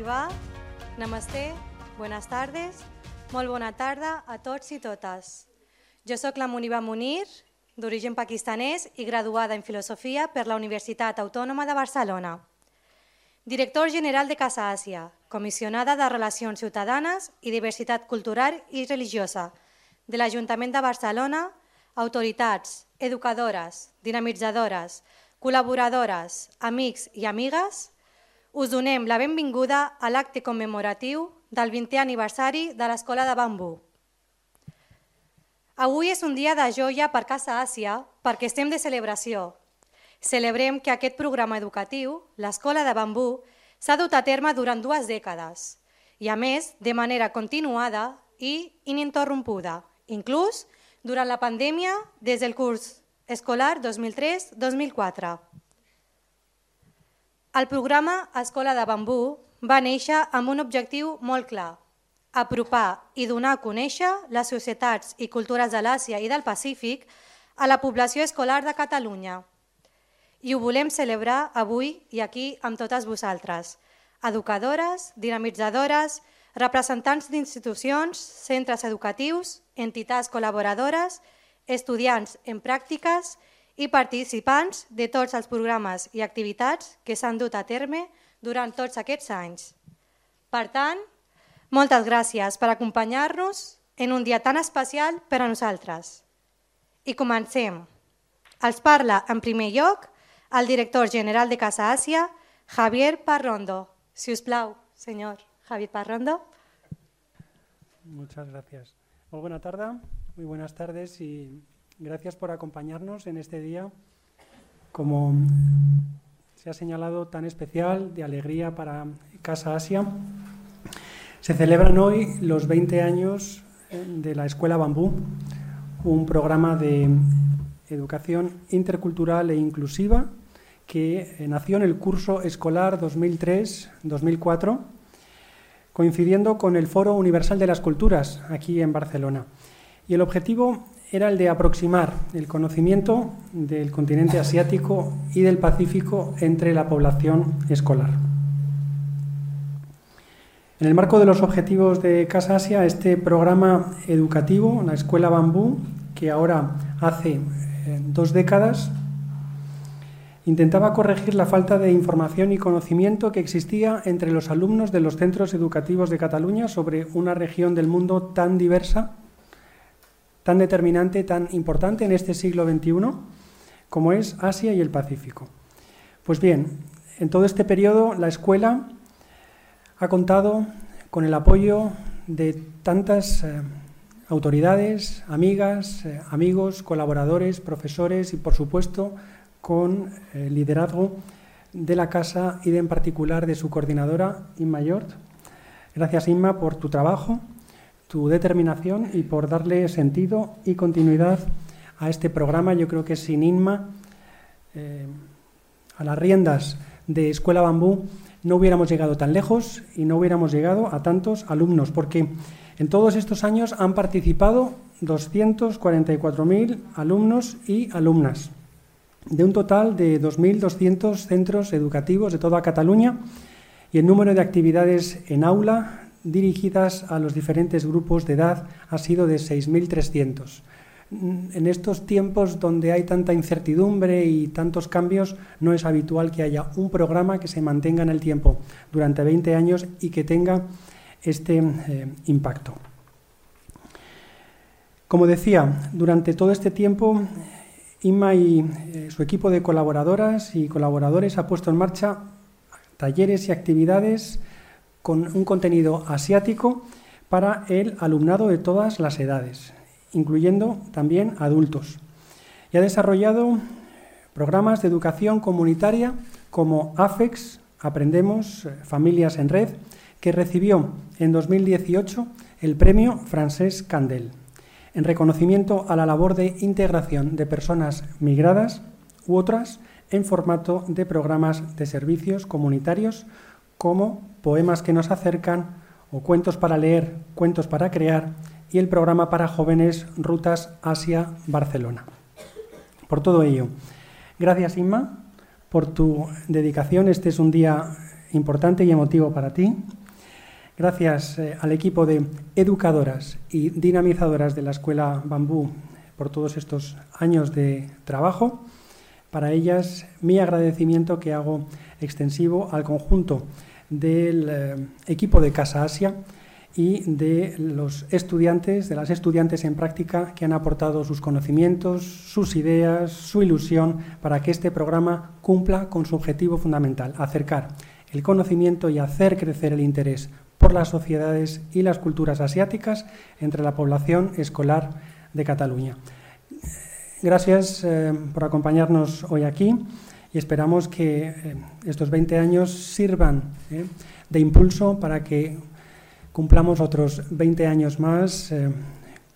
va? Namasté, buenas tardes, molt bona tarda a tots i totes. Jo sóc la Muniba Munir, d'origen pakistanès i graduada en Filosofia per la Universitat Autònoma de Barcelona. Director general de Casa Àsia, comissionada de Relacions Ciutadanes i Diversitat Cultural i Religiosa de l'Ajuntament de Barcelona, autoritats, educadores, dinamitzadores, col·laboradores, amics i amigues, us donem la benvinguda a l'acte commemoratiu del 20è aniversari de l'Escola de Bambú. Avui és un dia de joia per Casa Àsia perquè estem de celebració. Celebrem que aquest programa educatiu, l'Escola de Bambú, s'ha dut a terme durant 2 dècades i, a més, de manera continuada i ininterrompuda, inclús durant la pandèmia des del curs escolar 2003-2004. El programa Escola de Bambú va néixer amb un objectiu molt clar: apropar i donar a conèixer les societats i cultures de l'Àsia i del Pacífic a la població escolar de Catalunya. I ho volem celebrar avui i aquí amb totes vosaltres, educadores, dinamitzadores, representants d'institucions, centres educatius, entitats col·laboradores, estudiants en pràctiques i participants de tots els programes i activitats que s'han dut a terme durant tots aquests anys. Per tant, moltes gràcies per acompanyar-nos en un dia tan especial per a nosaltres. I comencem. Els parla en primer lloc el director general de Casa Àsia, Javier Parrondo. Si us plau, senyor Javier Parrondo. Muchas gracias. Muy buena tarde, muy buenas tardes y gracias por acompañarnos en este día, como se ha señalado, tan especial, de alegría para Casa Àsia. Se celebran hoy los 20 años de la Escuela Bambú, un programa de educación intercultural e inclusiva que nació en el curso escolar 2003-2004, coincidiendo con el Foro Universal de las Culturas aquí en Barcelona. Y el objetivo era el de aproximar el conocimiento del continente asiático y del Pacífico entre la población escolar. En el marco de los objetivos de Casa Àsia, este programa educativo, la Escuela Bambú, que ahora hace 2 décadas, intentaba corregir la falta de información y conocimiento que existía entre los alumnos de los centros educativos de Cataluña sobre una región del mundo tan diversa, tan determinante, tan importante en este siglo XXI, como es Asia y el Pacífico. Pues bien, en todo este periodo la escuela ha contado con el apoyo de tantas autoridades, amigas, amigos, colaboradores, profesores y, por supuesto, con el liderazgo de la casa y en particular de su coordinadora, Inma Yort. Gracias, Inma, por tu trabajo, tu determinación y por darle sentido y continuidad a este programa. Yo creo que sin Inma, a las riendas de Escuela Bambú, no hubiéramos llegado tan lejos y no hubiéramos llegado a tantos alumnos, porque en todos estos años han participado 244.000 alumnos y alumnas, de un total de 2.200 centros educativos de toda Cataluña, y el número de actividades en aula dirigidas a los diferentes grupos de edad ha sido de 6.300. En estos tiempos donde hay tanta incertidumbre y tantos cambios, no es habitual que haya un programa que se mantenga en el tiempo durante 20 años y que tenga este impacto. Como decía, durante todo este tiempo, Inma y su equipo de colaboradoras y colaboradores ha puesto en marcha talleres y actividades con un contenido asiático para el alumnado de todas las edades, incluyendo también adultos. Y ha desarrollado programas de educación comunitaria como AFEX, Aprendemos, Familias en Red, que recibió en 2018 el premio Francesc Candel, en reconocimiento a la labor de integración de personas migradas u otras en formato de programas de servicios comunitarios como Poemas que nos acercan o Cuentos para leer, Cuentos para crear y el programa para jóvenes Rutas Asia-Barcelona. Por todo ello, gracias, Inma, por tu dedicación. Este es un día importante y emotivo para ti. Gracias al equipo de educadoras y dinamizadoras de la Escuela Bambú por todos estos años de trabajo. Para ellas, mi agradecimiento que hago extensivo al conjunto del equipo de Casa Asia y de los estudiantes, de las estudiantes en práctica que han aportado sus conocimientos, sus ideas, su ilusión para que este programa cumpla con su objetivo fundamental, acercar el conocimiento y hacer crecer el interés por las sociedades y las culturas asiáticas entre la población escolar de Cataluña. Gracias por acompañarnos hoy aquí y esperamos que estos 20 años sirvan de impulso para que cumplamos otros 20 años más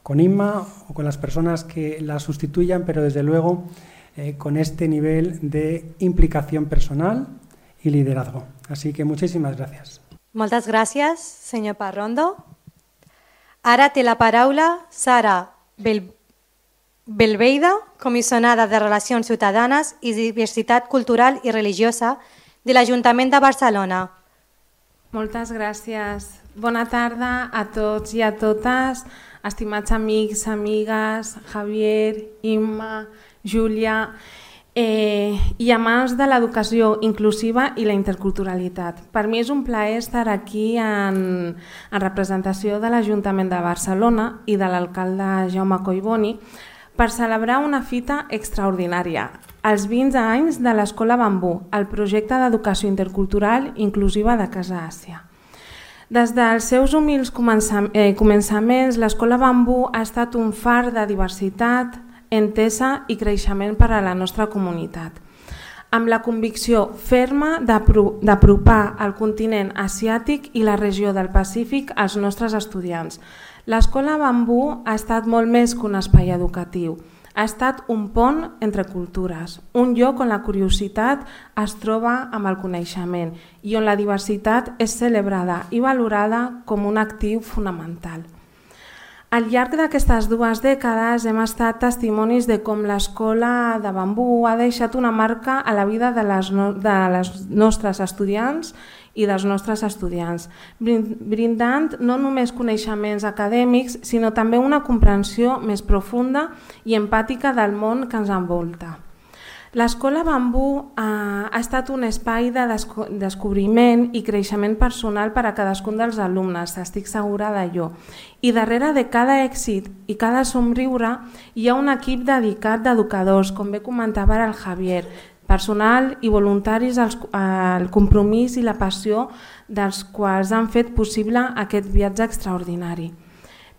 con Inma o con las personas que la sustituyan, pero desde luego con este nivel de implicación personal y liderazgo. Así que muchísimas gracias. Moltes gràcies, senyor Parrondo. Ara té la paraula Sara Belveida, comissionada de Relacions Ciutadanes i Diversitat Cultural i Religiosa de l'Ajuntament de Barcelona. Moltes gràcies. Bona tarda a tots i a totes, estimats amics, amigues, Javier, Imma, Júlia i amants de l'educació inclusiva i la interculturalitat. Per mi és un plaer estar aquí en representació de l'Ajuntament de Barcelona i de l'alcalde Jaume Collboni per celebrar una fita extraordinària, els 20 anys de l'Escola Bambú, el projecte d'educació intercultural inclusiva de Casa Àsia. Des dels seus humils començaments, l'Escola Bambú ha estat un far de diversitat, entesa i creixement per a la nostra comunitat, amb la convicció ferma d'apropar el continent asiàtic i la regió del Pacífic als nostres estudiants. L'Escola Bambú ha estat molt més que un espai educatiu. Ha estat un pont entre cultures, un lloc on la curiositat es troba amb el coneixement i on la diversitat és celebrada i valorada com un actiu fonamental. Al llarg d'aquestes 2 dècades hem estat testimonis de com l'Escola de Bambú ha deixat una marca a la vida de les nostres estudiants i dels nostres estudiants, brindant no només coneixements acadèmics, sinó també una comprensió més profunda i empàtica del món que ens envolta. L'Escola Bambú ha estat un espai de descobriment i creixement personal per a cadascun dels alumnes, estic segura d'allò. I darrere de cada èxit i cada somriure hi ha un equip dedicat d'educadors, com bé comentava el Javier, personal i voluntaris al compromís i la passió dels quals han fet possible aquest viatge extraordinari.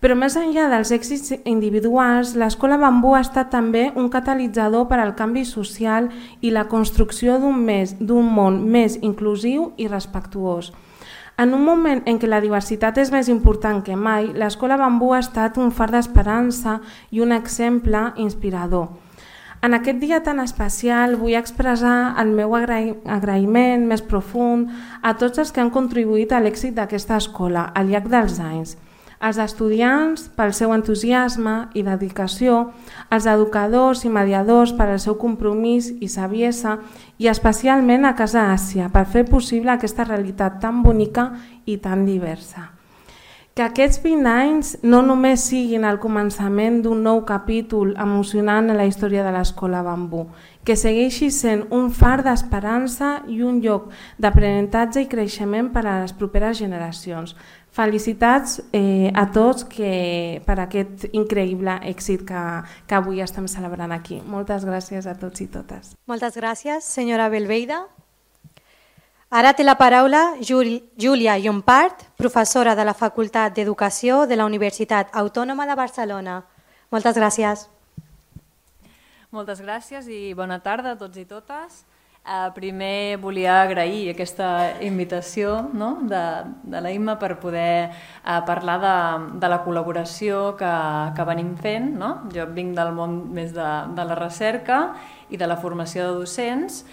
Però més enllà dels èxits individuals, l'Escola Bambú ha estat també un catalitzador per al canvi social i la construcció d'un món més inclusiu i respectuós. En un moment en què la diversitat és més important que mai, l'Escola Bambú ha estat un far d'esperança i un exemple inspirador. En aquest dia tan especial vull expressar el meu agraïment més profund a tots els que han contribuït a l'èxit d'aquesta escola al llarg dels anys. Els estudiants pel seu entusiasme i dedicació, els educadors i mediadors per al seu compromís i saviesa i especialment a Casa Àsia per fer possible aquesta realitat tan bonica i tan diversa. Que aquests 20 anys no només siguin el començament d'un nou capítol emocionant en la història de l'Escola Bambú, que segueixi sent un far d'esperança i un lloc d'aprenentatge i creixement per a les properes generacions. Felicitats a tots per aquest increïble èxit que avui estem celebrant aquí. Moltes gràcies a tots i totes. Moltes gràcies, senyora Belveida. Ara té la paraula Júlia Llompart, professora de la Facultat d'Educació de la Universitat Autònoma de Barcelona. Moltes gràcies. Moltes gràcies i bona tarda a tots i totes. Primer volia agrair aquesta invitació de la Imma per poder parlar de la col·laboració que venim fent. Jo vinc del món més de la recerca i de la formació de docents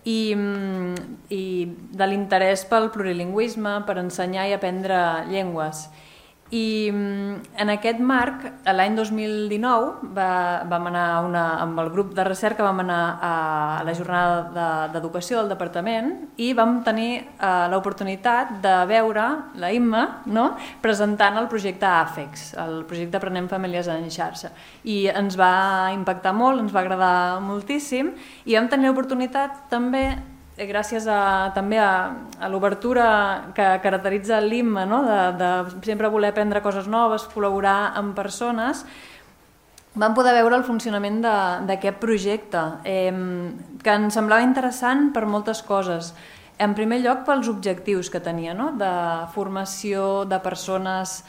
i de l'interès pel plurilingüisme, per ensenyar i aprendre llengües. I en aquest marc, l'any 2019, vam anar amb el grup de recerca vam anar a la jornada d'educació del departament i vam tenir l'oportunitat de veure la Imma presentant el projecte AFEX, el projecte Aprenem Famílies en Xarxa. I ens va impactar molt, ens va agradar moltíssim i vam tenir l'oportunitat també, gràcies també a l'obertura que caracteritza l'IMMA, de sempre voler aprendre coses noves, col·laborar amb persones, vam poder veure el funcionament d'aquest projecte, que ens semblava interessant per moltes coses. En primer lloc, pels objectius que tenia, de formació de persones,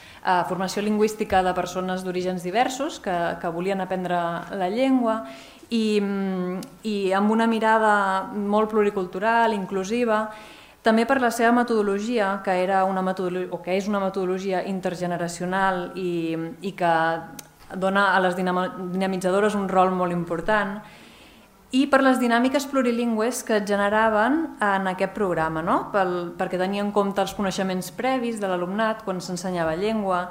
formació lingüística de persones d'orígens diversos que volien aprendre la llengua, i amb una mirada molt pluricultural, inclusiva, també per la seva metodologia, que és una metodologia intergeneracional i que dona a les dinamitzadores un rol molt important, i per les dinàmiques plurilingües que es generaven en aquest programa, perquè tenia en compte els coneixements previs de l'alumnat quan s'ensenyava llengua,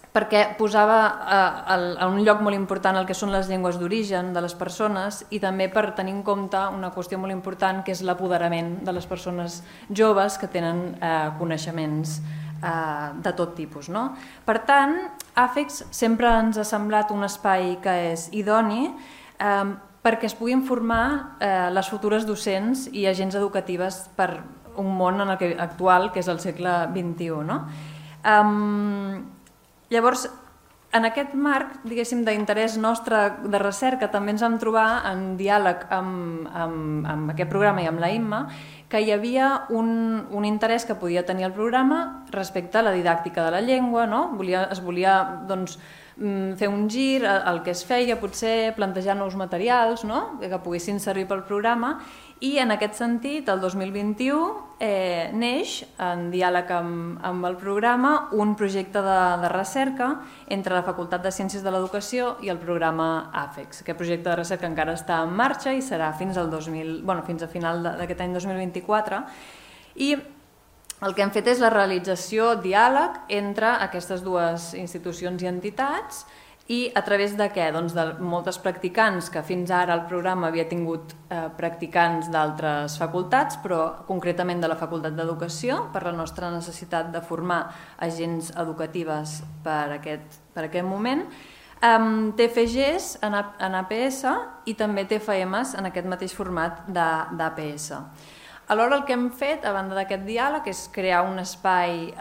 perquè posava a un lloc molt important el que són les llengües d'origen de les persones i també per tenir en compte una qüestió molt important que és l'apoderament de les persones joves que tenen coneixements de tot tipus. Per tant, AFEX sempre ens ha semblat un espai que és idoni perquè es puguin formar les futures docents i agents educatives per un món actual que és el segle XXI. Llavors, en aquest marc, diguéssim, d'interès nostre de recerca, també ens vam trobar en diàleg amb aquest programa i amb la Imma que hi havia un interès que podia tenir el programa respecte a la didàctica de la llengua, es volia fer un gir al que es feia, potser plantejar nous materials que poguessin servir pel programa i en aquest sentit el 2021 neix en diàleg amb el programa un projecte de recerca entre la Facultat de Ciències de l'Educació i el programa AFEX. Aquest projecte de recerca encara està en marxa i serà fins a final d'aquest any 2024 i el que hem fet és la realització diàleg entre aquestes dues institucions i entitats i a través de què? Doncs de moltes practicants, que fins ara el programa havia tingut practicants d'altres facultats, però concretament de la Facultat d'Educació, per la nostra necessitat de formar agents educatives per aquest moment, TFGs en APS i també TFMs en aquest mateix format d'APS. Alhora el que hem fet, a banda d'aquest diàleg, és crear un espai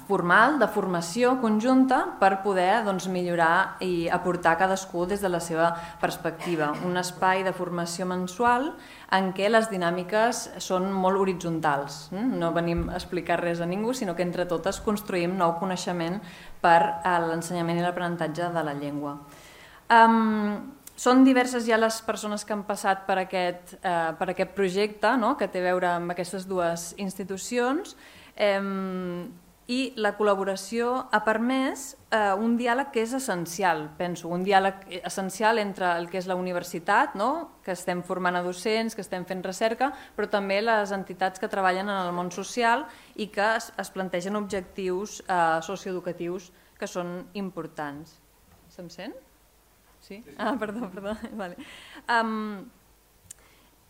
formal, de formació conjunta, per poder millorar i aportar cadascú des de la seva perspectiva. Un espai de formació mensual en què les dinàmiques són molt horitzontals. No venim a explicar res a ningú, sinó que entre totes construïm nou coneixement per a l'ensenyament i l'aprenentatge de la llengua. Són diverses ja les persones que han passat per aquest projecte, que té a veure amb aquestes dues institucions, i la col·laboració ha permès un diàleg que és essencial, penso, un diàleg essencial entre el que és la universitat, que estem formant a docents, que estem fent recerca, però també les entitats que treballen en el món social i que es plantegen objectius socioeducatius que són importants. Se'm sent? Sí? Perdó. Vale.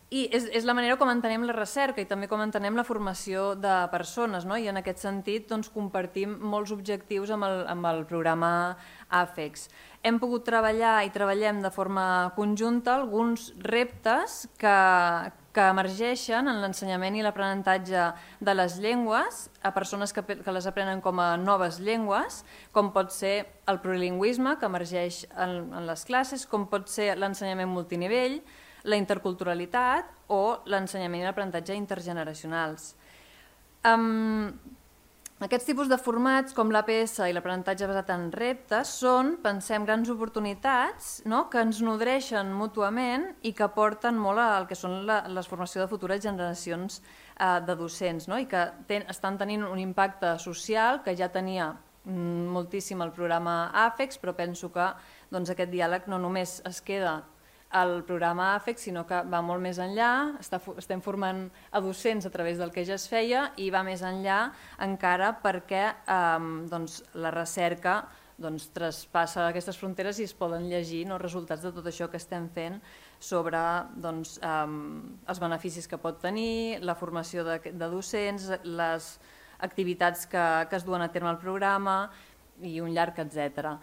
I és la manera com entenem la recerca i també com entenem la formació de persones, i en aquest sentit compartim molts objectius amb el programa AFEX. Hem pogut treballar i treballem de forma conjunta alguns reptes que emergeixen en l'ensenyament i l'aprenentatge de les llengües a persones que les aprenen com a noves llengües, com pot ser el plurilingüisme que emergeix en les classes, com pot ser l'ensenyament multinivell, la interculturalitat o l'ensenyament i l'aprenentatge intergeneracionals. Aquests tipus de formats, com l'APS i l'aprenentatge basat en reptes, són, pensem, grans oportunitats que ens nodreixen mútuament i que aporten molt al que són la formació de futures generacions de docents i que estan tenint un impacte social que ja tenia moltíssim el programa AFEX, però penso que aquest diàleg no només es queda el programa AFEC, sinó que va molt més enllà, estem formant a docents a través del que ja es feia i va més enllà encara perquè la recerca traspassa aquestes fronteres i es poden llegir els resultats de tot això que estem fent sobre els beneficis que pot tenir, la formació de docents, les activitats que es duen a terme al programa i un llarg etcètera.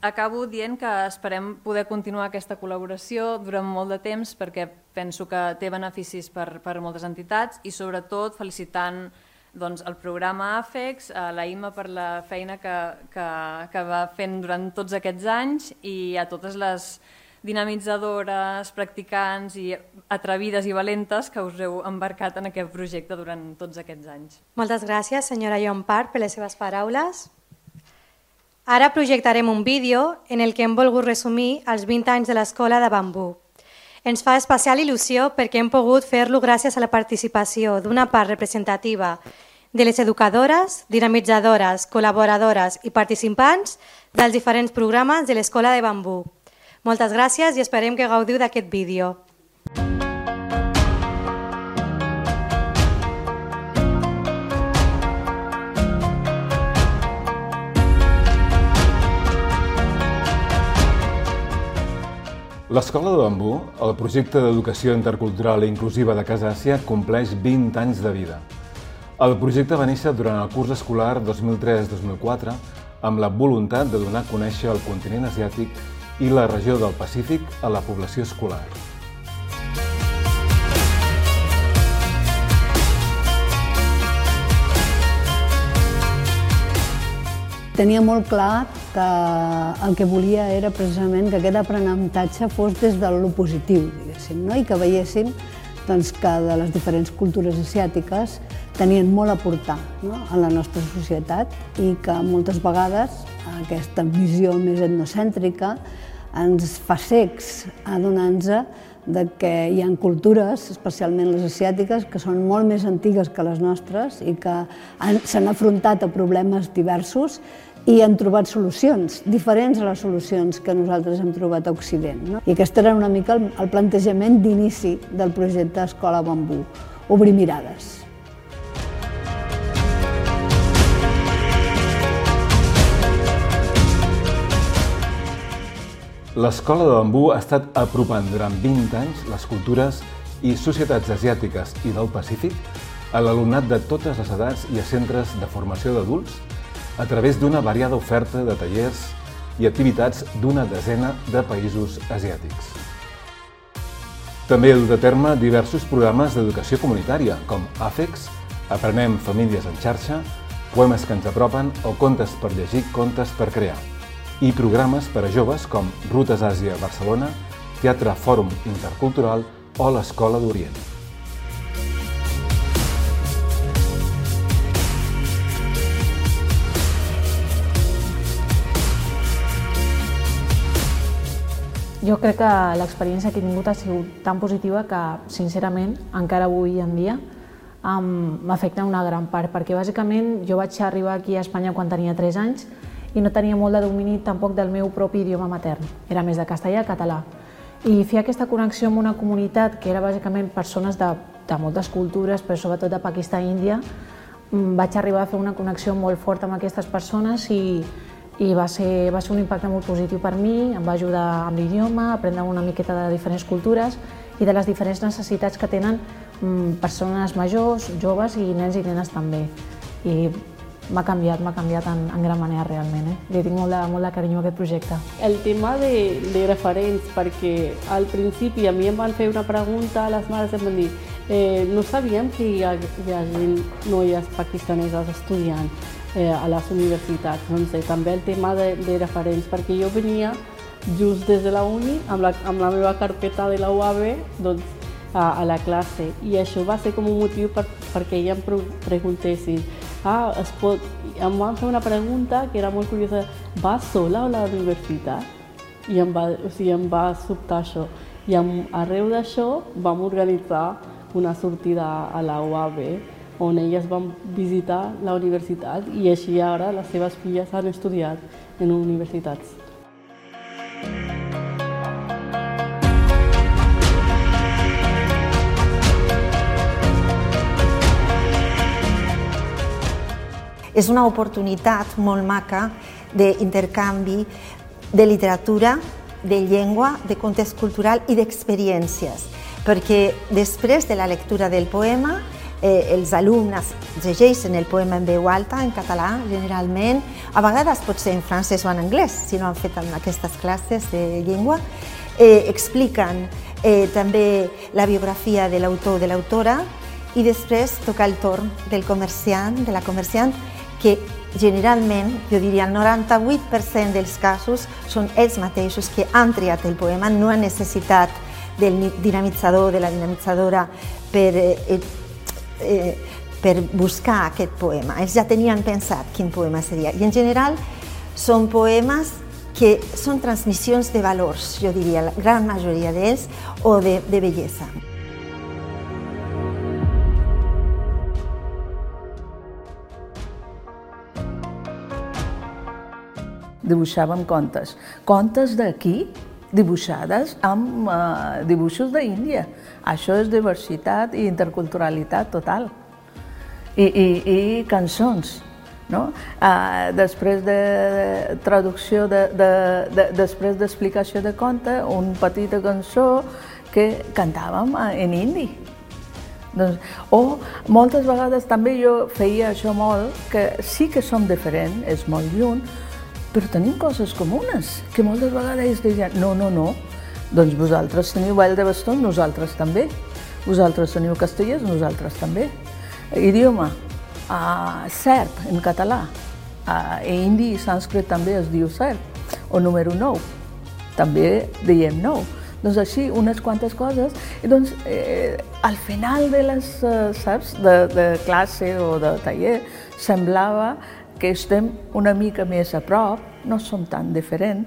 Acabo dient que esperem poder continuar aquesta col·laboració durant molt de temps perquè penso que té beneficis per moltes entitats i sobretot felicitant el programa AFEX, la Imma per la feina que va fent durant tots aquests anys i a totes les dinamitzadores, practicants i atrevides i valentes que us heu embarcat en aquest projecte durant tots aquests anys. Moltes gràcies, senyora Llompart, per les seves paraules. Ara projectarem un vídeo en el que hem volgut resumir els 20 anys de l'Escola de Bambú. Ens fa especial il·lusió perquè hem pogut fer-lo gràcies a la participació d'una part representativa de les educadores, dinamitzadores, col·laboradores i participants dels diferents programes de l'Escola de Bambú. Moltes gràcies i esperem que gaudiu d'aquest vídeo. L'Escola de Bambú, el projecte d'educació intercultural i inclusiva de Casa Àsia, compleix 20 anys de vida. El projecte va néixer durant el curs escolar 2003-2004 amb la voluntat de donar a conèixer el continent asiàtic i la regió del Pacífic a la població escolar. Tenia molt clar que el que volia era precisament que aquest aprenentatge fos des de lo positiu, diguéssim, i que veiéssim que de les diferents cultures asiàtiques tenien molt a aportar a la nostra societat i que moltes vegades aquesta visió més etnocèntrica ens fa cecs adonant-nos que hi ha cultures, especialment les asiàtiques, que són molt més antigues que les nostres i que s'han afrontat a problemes diversos i han trobat solucions diferents a les solucions que nosaltres hem trobat a Occident. I aquest era una mica el plantejament d'inici del projecte Escola Bambú, obrir mirades. L'Escola de Bambú ha estat apropant durant 20 anys les cultures i societats asiàtiques i del Pacífic a l'alumnat de totes les edats i a centres de formació d'adults a través d'una variada oferta de tallers i activitats d'una desena de països asiàtics. També ha dut a terme diversos programes d'educació comunitària, com AFEX, Aprenem Famílies en xarxa, Poemes que ens apropen o Contes per llegir, Contes per crear, i programes per a joves com Rutes Àsia Barcelona, Teatre Fòrum Intercultural o l'Escola d'Orient. Jo crec que l'experiència que he tingut ha sigut tan positiva que, sincerament, encara avui en dia m'afecta una gran part, perquè bàsicament jo vaig arribar aquí a Espanya quan tenia 3 anys i no tenia molt de domini tampoc del meu propi idioma matern, era més de castellà i català. I fer aquesta connexió amb una comunitat que era bàsicament persones de moltes cultures, però sobretot de Pakistan i Índia, vaig arribar a fer una connexió molt forta amb aquestes persones i va ser un impacte molt positiu per mi, em va ajudar amb l'idioma, a aprendre una miqueta de diferents cultures i de les diferents necessitats que tenen persones majors, joves i nens i nenes també. I m'ha canviat en gran manera realment. Li tinc molt de carinyo a aquest projecte. El tema de referents, perquè al principi a mi em van fer una pregunta, les mares em van dir no sabíem que hi ha noies pakistaneses estudiant a les universitats. Doncs també el tema de referents, perquè jo venia just des de la uni amb la meva carpeta de la UAB a la classe i això va ser com un motiu perquè ella em preguntessin em van fer una pregunta que era molt curiosa, vas sola a la universitat? I em va sobtar això. I arreu d'això vam organitzar una sortida a la UAB on elles van visitar la universitat i així ara les seves filles han estudiat en universitats. és una oportunitat molt maca d'intercanvi de literatura, de llengua, de context cultural i d'experiències, perquè després de la lectura del poema els alumnes llegeixen el poema en veu alta, en català, generalment, a vegades pot ser en francès o en anglès, si no han fet en aquestes classes de llengua, expliquen també la biografia de l'autor o de l'autora i després toca el torn del comerciant, de la comerciant, que generalment, jo diria el 98% dels casos, són ells mateixos que han triat el poema, no han necessitat del dinamitzador, de la dinamitzadora per buscar aquest poema. Ells ja tenien pensat quin poema seria. I en general són poemes que són transmissions de valors, jo diria, la gran majoria d'ells, o de bellesa. Dibuixàvem contes. Contes d'aquí, dibuixades amb dibuixos d'Índia. Això és diversitat i interculturalitat total. I cançons. Després de traducció, després d'explicació de conte, una petita cançó que cantàvem en hindi. O moltes vegades també jo feia això molt, que sí que som diferents, és molt lluny, però tenim coses comunes, que moltes vegades ells deien no, doncs vosaltres teniu ball de bastó, nosaltres també. Vosaltres teniu castellers, nosaltres també. Idioma, serb en català, hindi i sànscrit també es diu serb, o número 9, també diem 9. Doncs així, unes quantes coses, i doncs al final de les, saps, de classe o de taller, semblava que estem una mica més a prop, no som tan diferents,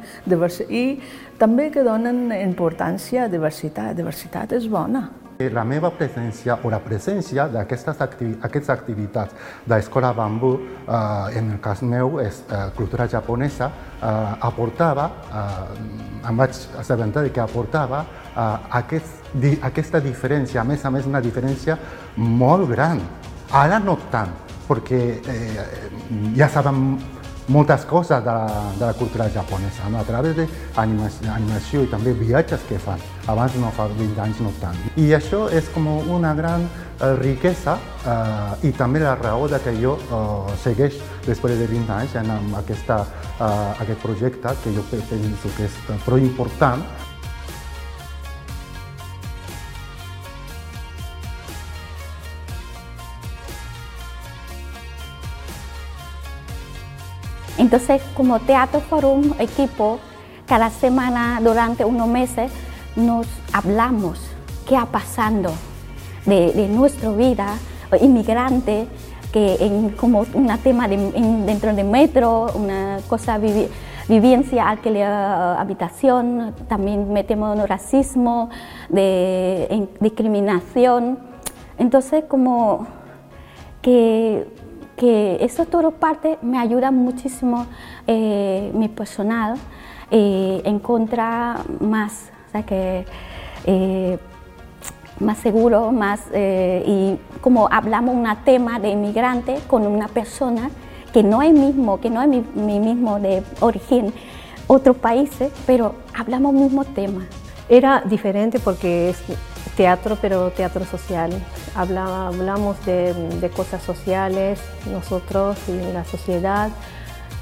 i també que donen importància a diversitat. Diversitat és bona. La meva presència o la presència d'aquestes activitats de l'Escola Bambú, en el cas meu és cultura japonesa, aportava, em vaig assabentar que aportava aquesta diferència, a més una diferència molt gran. Ara no tant, perquè ja sabem moltes coses de la cultura japonesa, a través d'animació i també viatges que fan. Abans no fa 20 anys no tant. I això és com una gran riquesa i també la raó que jo segueix després de 20 anys en aquest projecte que jo penso que és prou important. Entonces, como Teatro Forum equipo, cada semana durante unos meses nos hablamos qué ha pasado de nuestra vida, inmigrante, que como un tema dentro del metro, una cosa, vivencia, alquiler, habitación, también metemos racismo, discriminación. Entonces, como que eso todo parte me ayuda muchísimo mi personal encontrar más, o sea, más seguro, más y como hablamos un tema de inmigrante con una persona que no es mi mismo de origen, otros países, pero hablamos el mismo tema. Era diferente porque es teatro, pero teatro social. Hablamos de cosas sociales, nosotros y la sociedad.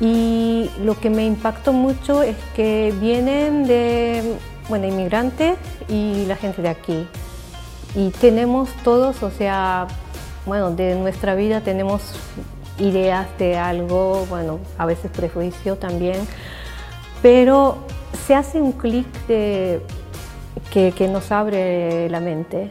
Y lo que me impactó mucho es que vienen de inmigrantes y la gente de aquí. Y tenemos todos, o sea, de nuestra vida tenemos ideas de algo, a veces prejuicio también, pero se hace un clic que nos abre la mente.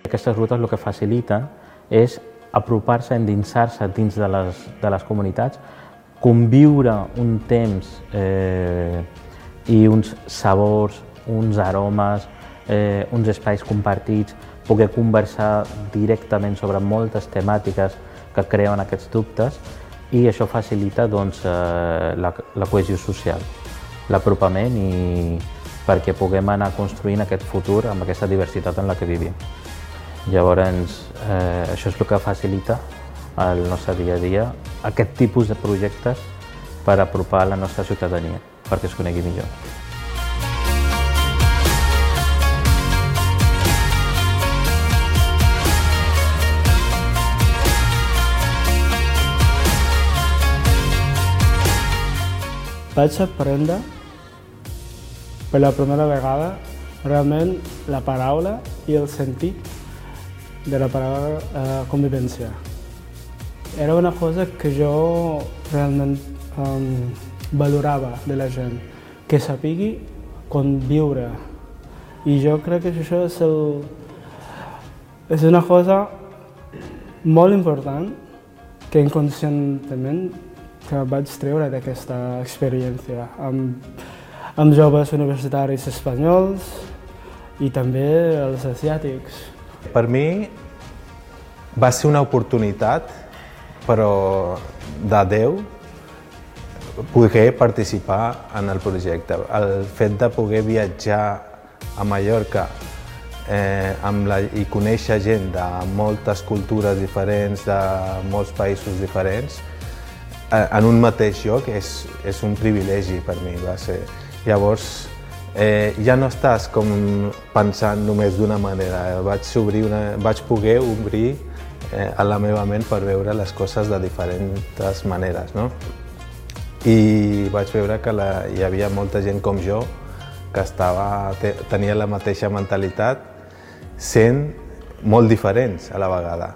Aquestes rutes el que faciliten és apropar-se, endinsar-se dins de les comunitats, conviure un temps i uns sabors, uns aromes, uns espais compartits, poder conversar directament sobre moltes temàtiques que creuen aquests dubtes, i això facilita la cohesió social, l'apropament perquè puguem anar construint aquest futur amb aquesta diversitat en la que vivim. Llavors, això és el que facilita el nostre dia a dia, aquest tipus de projectes per apropar la nostra ciutadania, perquè es conegui millor. Vaig aprendre per la primera vegada realment la paraula i el sentit de la paraula convivència. Era una cosa que jo realment valorava de la gent, que sapigui conviure. I jo crec que això és una cosa molt important que inconscientment que vaig treure d'aquesta experiència amb joves universitaris espanyols i també els asiàtics. Per mi va ser una oportunitat, però de Déu, poder participar en el projecte. El fet de poder viatjar a Mallorca i conèixer gent de moltes cultures diferents, de molts països diferents, en un mateix lloc és un privilegi per mi, va ser. Llavors, ja no estàs com pensant només d'una manera, vaig poder obrir a la meva ment per veure les coses de diferents maneres, no? I vaig veure que hi havia molta gent com jo que tenia la mateixa mentalitat, sent molt diferents a la vegada.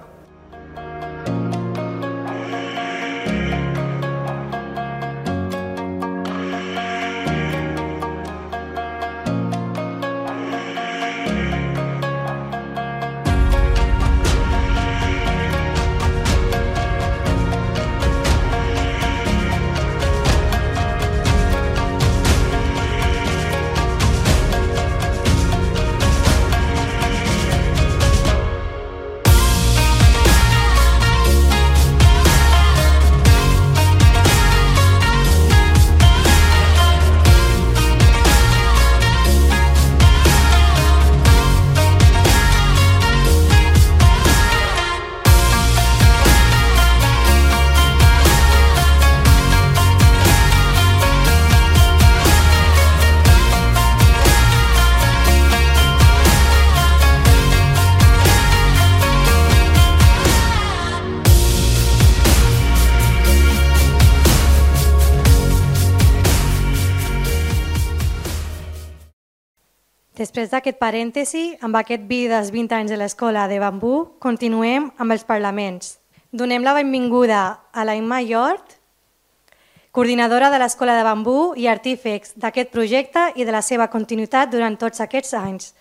Després d'aquest parèntesi, amb aquest vi dels 20 anys de l'Escola de Bambú, continuem amb els parlaments. Donem la benvinguda a la Imma Llort, coordinadora de l'Escola de Bambú i artífex d'aquest projecte i de la seva continuïtat durant tots aquests anys.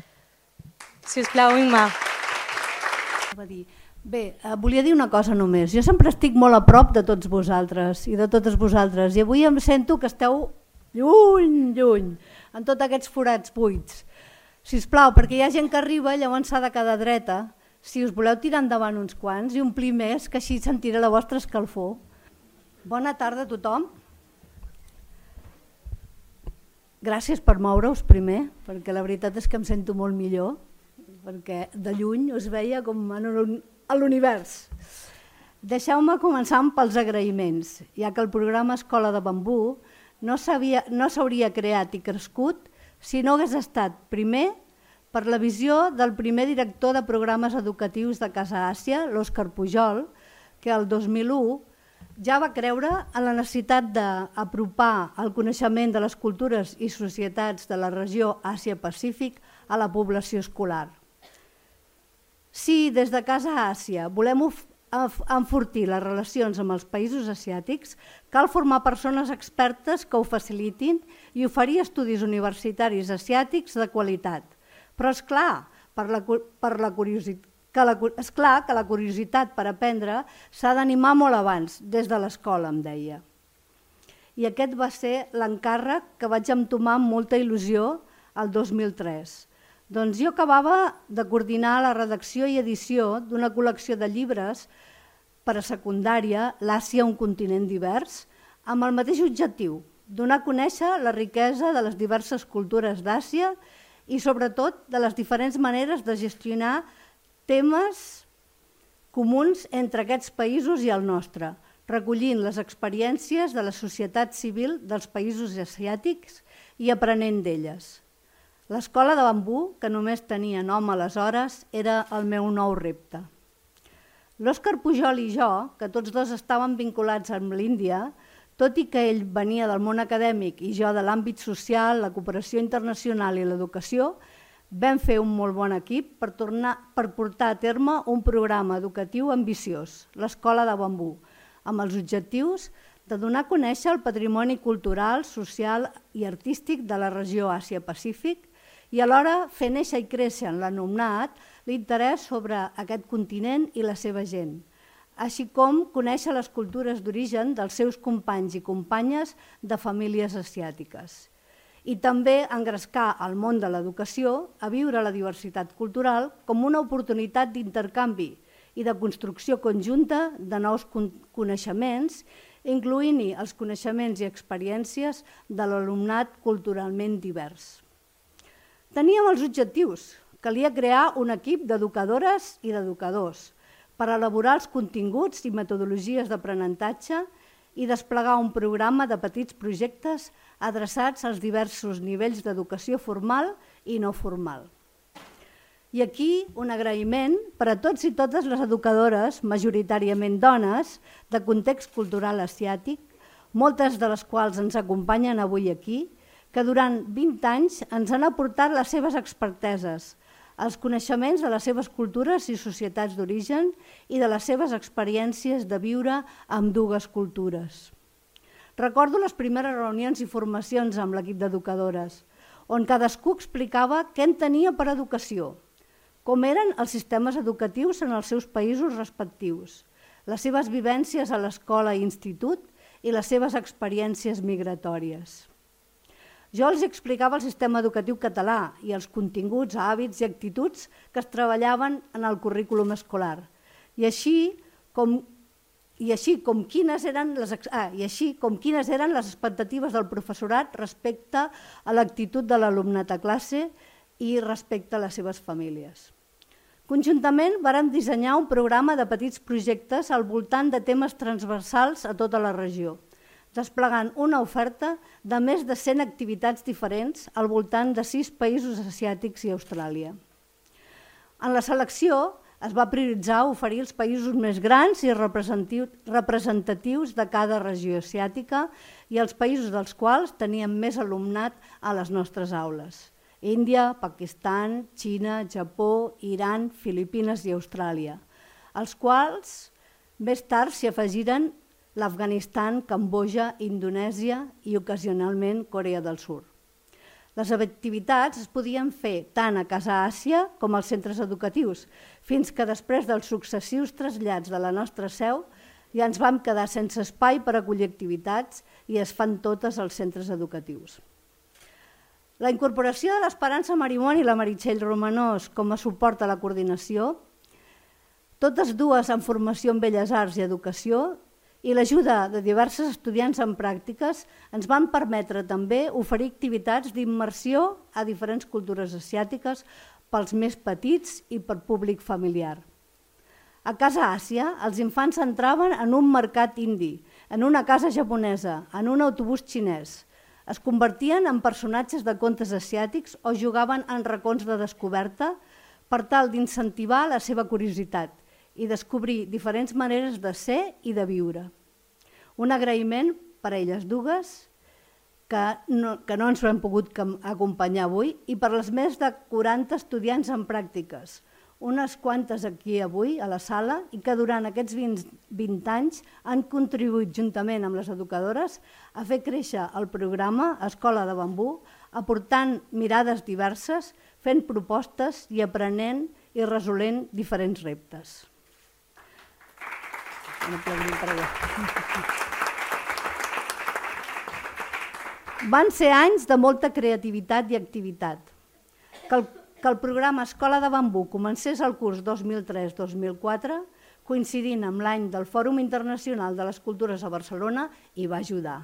Si us plau, Imma. Bé, volia dir una cosa només. Jo sempre estic molt a prop de tots vosaltres i de totes vosaltres i avui em sento que esteu lluny, lluny, en tots aquests forats buits. Sisplau, perquè hi ha gent que arriba, llavors s'ha de quedar dreta. Si us voleu tirar endavant uns quants i omplir més, que així sentiré la vostra escalfor. Bona tarda a tothom. Gràcies per moure-us primer, perquè la veritat és que em sento molt millor, perquè de lluny us veia com a l'univers. Deixeu-me començar pels agraïments, ja que el programa Escola de Bambú no s'hauria creat i crescut si no hagués estat, primer, per la visió del primer director de programes educatius de Casa Àsia, l'Òscar Pujol, que el 2001 ja va creure en la necessitat d'apropar el coneixement de les cultures i societats de la regió Àsia-Pacífic a la població escolar. Si des de Casa Àsia volem enfortir les relacions amb els països asiàtics, cal formar persones expertes que ho facilitin i oferir estudis universitaris asiàtics de qualitat. Però és clar que la curiositat per aprendre s'ha d'animar molt abans, des de l'escola, em deia. I aquest va ser l'encàrrec que vaig entomar amb molta il·lusió el 2003. Doncs jo acabava de coordinar la redacció i edició d'una col·lecció de llibres per a secundària, l'Àsia, un continent divers, amb el mateix objectiu, donar a conèixer la riquesa de les diverses cultures d'Àsia i sobretot de les diferents maneres de gestionar temes comuns entre aquests països i el nostre, recollint les experiències de la societat civil dels països asiàtics i aprenent d'elles. L'escola de bambú, que només tenia nom aleshores, era el meu nou repte. L'Òscar Pujol i jo, que tots dos estàvem vinculats amb l'Índia, tot i que ell venia del món acadèmic i jo de l'àmbit social, la cooperació internacional i l'educació, vam fer un molt bon equip per portar a terme un programa educatiu ambiciós, l'Escola de Bambú, amb els objectius de donar a conèixer el patrimoni cultural, social i artístic de la regió Àsia-Pacífic i alhora fer néixer i créixer en l'alumnat l'interès sobre aquest continent i la seva gent, així com conèixer les cultures d'origen dels seus companys i companyes de famílies asiàtiques. I també engrescar el món de l'educació a viure la diversitat cultural com una oportunitat d'intercanvi i de construcció conjunta de nous coneixements, incloent-hi els coneixements i experiències de l'alumnat culturalment divers. Teníem els objectius. Calia crear un equip d'educadores i d'educadors per elaborar els continguts i metodologies d'aprenentatge i desplegar un programa de petits projectes adreçats als diversos nivells d'educació formal i no formal. I aquí un agraïment per a tots i totes les educadores, majoritàriament dones, de context cultural asiàtic, moltes de les quals ens acompanyen avui aquí, que durant 20 anys ens han aportat les seves experteses, els coneixements de les seves cultures i societats d'origen i de les seves experiències de viure amb dues cultures. Recordo les primeres reunions i formacions amb l'equip d'educadores, on cadascú explicava què entenia per educació, com eren els sistemes educatius en els seus països respectius, les seves vivències a l'escola i institut i les seves experiències migratòries. Jo els explicava el sistema educatiu català i els continguts, hàbits i actituds que es treballaven en el currículum escolar, i així com quines eren les expectatives del professorat respecte a l'actitud de l'alumnat a classe i respecte a les seves famílies. Conjuntament vàrem dissenyar un programa de petits projectes al voltant de temes transversals a tota la regió, desplegant una oferta de més de 100 activitats diferents al voltant de 6 països asiàtics i Austràlia. En la selecció es va prioritzar oferir els països més grans i representatius de cada regió asiàtica i els països dels quals teníem més alumnat a les nostres aules: Índia, Pakistan, Xina, Japó, Iran, Filipines i Austràlia, als quals més tard s'hi afegiren l'Afganistan, Cambodja, Indonèsia i ocasionalment Corea del Sud. Les activitats es podien fer tant a Casa Àsia com als centres educatius, fins que després dels successius trasllats de la nostra seu ja ens vam quedar sense espai per acollir activitats i es fan totes als centres educatius. La incorporació de l'Esperança Marimón i la Meritxell Romanós com a suport a la coordinació, totes dues en formació en Belles Arts i Educació, i l'ajuda de diversos estudiants en pràctiques ens van permetre també oferir activitats d'immersió a diferents cultures asiàtiques pels més petits i per públic familiar. A Casa Àsia, els infants entraven en un mercat indi, en una casa japonesa, en un autobús xinès. Es convertien en personatges de contes asiàtics o jugaven en racons de descoberta per tal d'incentivar la seva curiositat i descobrir diferents maneres de ser i de viure. Un agraïment per a elles dues, que no ens ho hem pogut acompanyar avui, i per les més de 40 estudiants en pràctiques, unes quantes aquí avui a la sala, i que durant aquests 20 anys han contribuït juntament amb les educadores a fer créixer el programa Escola de Bambú, aportant mirades diverses, fent propostes i aprenent i resolent diferents reptes. Van ser anys de molta creativitat i activitat. Que el programa Escola de Bambú comencés el curs 2003-2004, coincidint amb l'any del Fòrum Internacional de les Cultures a Barcelona, hi va ajudar.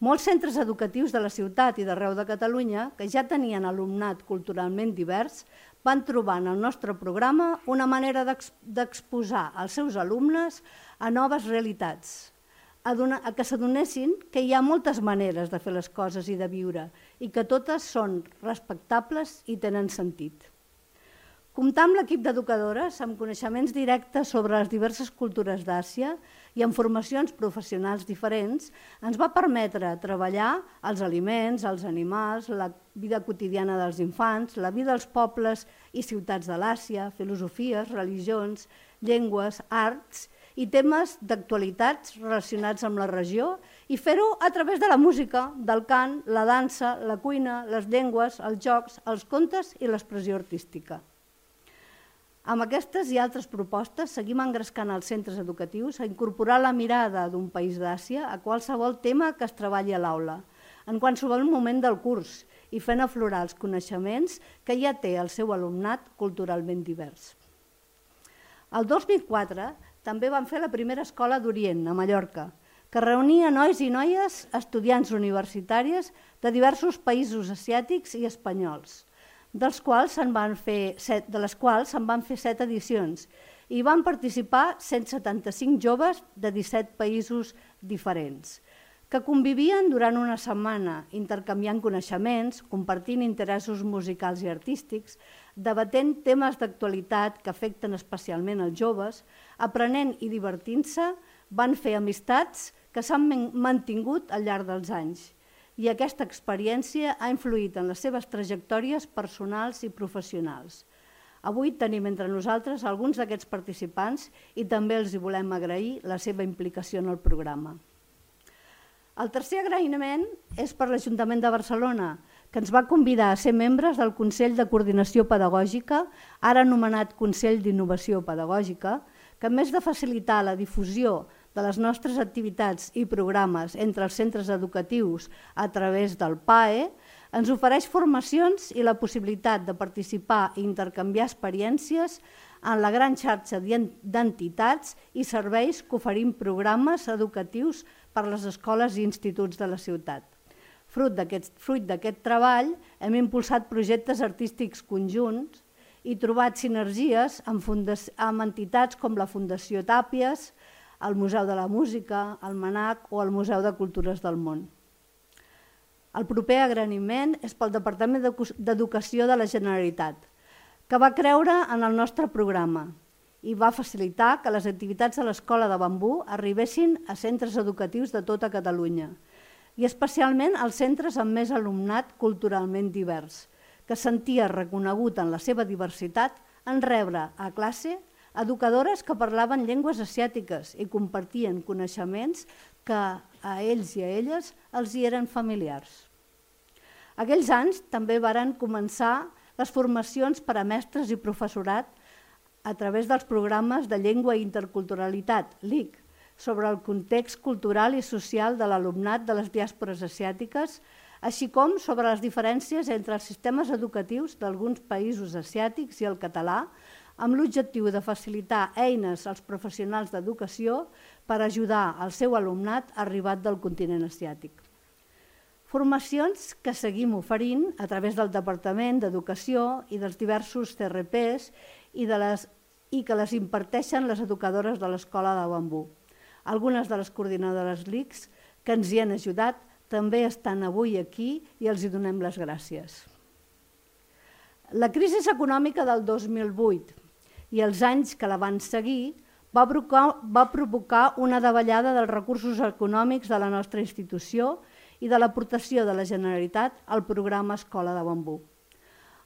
Molts centres educatius de la ciutat i d'arreu de Catalunya, que ja tenien alumnat culturalment divers, van trobar en el nostre programa una manera d'exposar els seus alumnes a noves realitats, a que s'adonessin que hi ha moltes maneres de fer les coses i de viure i que totes són respectables i tenen sentit. Comptar amb l'equip d'educadores amb coneixements directes sobre les diverses cultures d'Àsia i amb formacions professionals diferents ens va permetre treballar els aliments, els animals, la vida quotidiana dels infants, la vida dels pobles i ciutats de l'Àsia, filosofies, religions, llengües, arts i temes d'actualitats relacionats amb la regió i fer-ho a través de la música, del cant, la dansa, la cuina, les llengües, els jocs, els contes i l'expressió artística. Amb aquestes i altres propostes seguim engrescant els centres educatius a incorporar la mirada d'un país d'Àsia a qualsevol tema que es treballi a l'aula, en qualsevol moment del curs i fent aflorar els coneixements que ja té el seu alumnat culturalment divers. El 2004 també vam fer la primera escola d'Orient, a Mallorca, que reunia nois i noies estudiants universitàries de diversos països asiàtics i espanyols, de les quals se'n van fer 7 edicions i van participar 175 joves de 17 països diferents, que convivien durant una setmana intercanviant coneixements, compartint interessos musicals i artístics, debatent temes d'actualitat que afecten especialment els joves, aprenent i divertint-se, van fer amistats que s'han mantingut al llarg dels anys. I aquesta experiència ha influït en les seves trajectòries personals i professionals. Avui tenim entre nosaltres alguns d'aquests participants i també els volem agrair la seva implicació en el programa. El tercer agraïment és per l'Ajuntament de Barcelona, que ens va convidar a ser membres del Consell de Coordinació Pedagògica, ara anomenat Consell d'Innovació Pedagògica, que a més de facilitar la difusió de les nostres activitats i programes entre els centres educatius a través del PAE, ens ofereix formacions i la possibilitat de participar i intercanviar experiències en la gran xarxa d'entitats i serveis que oferim programes educatius per a les escoles i instituts de la ciutat. Fruit d'aquest treball, hem impulsat projectes artístics conjunts i trobat sinergies amb entitats com la Fundació Tàpies, el Museu de la Música, el MANAC o el Museu de Cultures del Món. El proper agraïment és pel Departament d'Educació de la Generalitat, que va creure en el nostre programa i va facilitar que les activitats de l'Escola de Bambú arribessin a centres educatius de tota Catalunya i especialment als centres amb més alumnat culturalment divers, que sentia reconegut en la seva diversitat en rebre a classe educadores que parlaven llengües asiàtiques i compartien coneixements que a ells i a elles els hi eren familiars. Aquells anys també varen començar les formacions per a mestres i professorat a través dels programes de Llengua i Interculturalitat, LIC, sobre el context cultural i social de l'alumnat de les diàspores asiàtiques, així com sobre les diferències entre els sistemes educatius d'alguns països asiàtics i el català, amb l'objectiu de facilitar eines als professionals d'educació per ajudar el seu alumnat arribat del continent asiàtic. Formacions que seguim oferint a través del Departament d'Educació i dels diversos CRPs i que les imparteixen les educadores de l'Escola de Bambú. Algunes de les coordinadores LICs que ens hi han ajudat també estan avui aquí i els hi donem les gràcies. La crisi econòmica del 2008 i els anys que la van seguir va provocar una davallada dels recursos econòmics de la nostra institució i de l'aportació de la Generalitat al programa Escola de Bambú.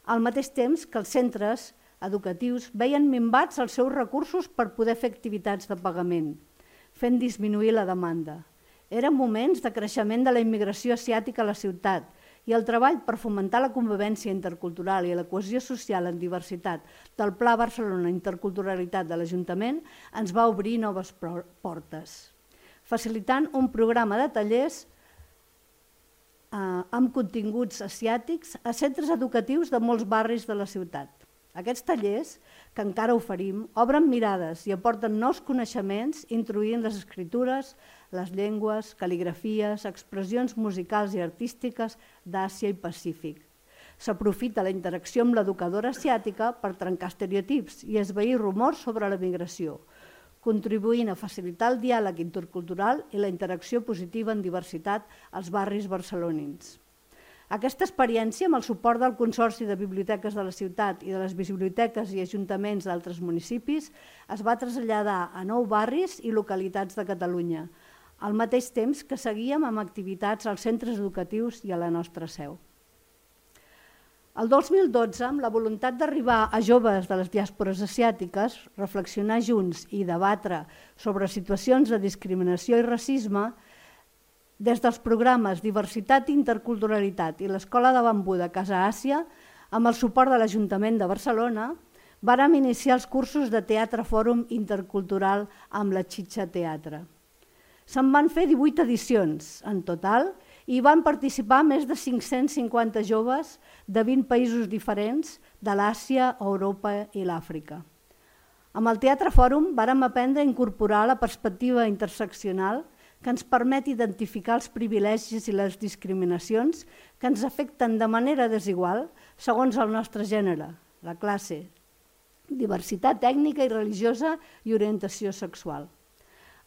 Al mateix temps que els centres educatius veien minvats els seus recursos per poder fer activitats de pagament, fent disminuir la demanda. Eren moments de creixement de la immigració asiàtica a la ciutat i el treball per fomentar la convivència intercultural i la cohesió social en diversitat del Pla Barcelona Interculturalitat de l'Ajuntament ens va obrir noves portes, facilitant un programa de tallers amb continguts asiàtics a centres educatius de molts barris de la ciutat. Aquests tallers, que encara oferim, obren mirades i aporten nous coneixements introduint les escritures, les llengües, cal·ligrafies, expressions musicals i artístiques d'Àsia i Pacífic. S'aprofita la interacció amb l'educadora asiàtica per trencar estereotips i esvair rumors sobre la migració, contribuint a facilitar el diàleg intercultural i la interacció positiva en diversitat als barris barcelonins. Aquesta experiència, amb el suport del Consorci de Biblioteques de la Ciutat i de les biblioteques i ajuntaments d'altres municipis, es va traslladar a 9 barris i localitats de Catalunya, al mateix temps que seguíem amb activitats als centres educatius i a la nostra seu. El 2012, amb la voluntat d'arribar a joves de les diàspores asiàtiques, reflexionar junts i debatre sobre situacions de discriminació i racisme, des dels programes Diversitat i Interculturalitat i l'Escola de Bambú de Casa Àsia, amb el suport de l'Ajuntament de Barcelona, vàrem iniciar els cursos de Teatre Fòrum Intercultural amb la Xitxa Teatre. Se'n van fer 18 edicions en total i van participar més de 550 joves de 20 països diferents de l'Àsia, Europa i l'Àfrica. Amb el Teatre Fòrum vàrem aprendre a incorporar la perspectiva interseccional que ens permet identificar els privilegis i les discriminacions que ens afecten de manera desigual segons el nostre gènere, la classe, diversitat ètnica i religiosa i orientació sexual.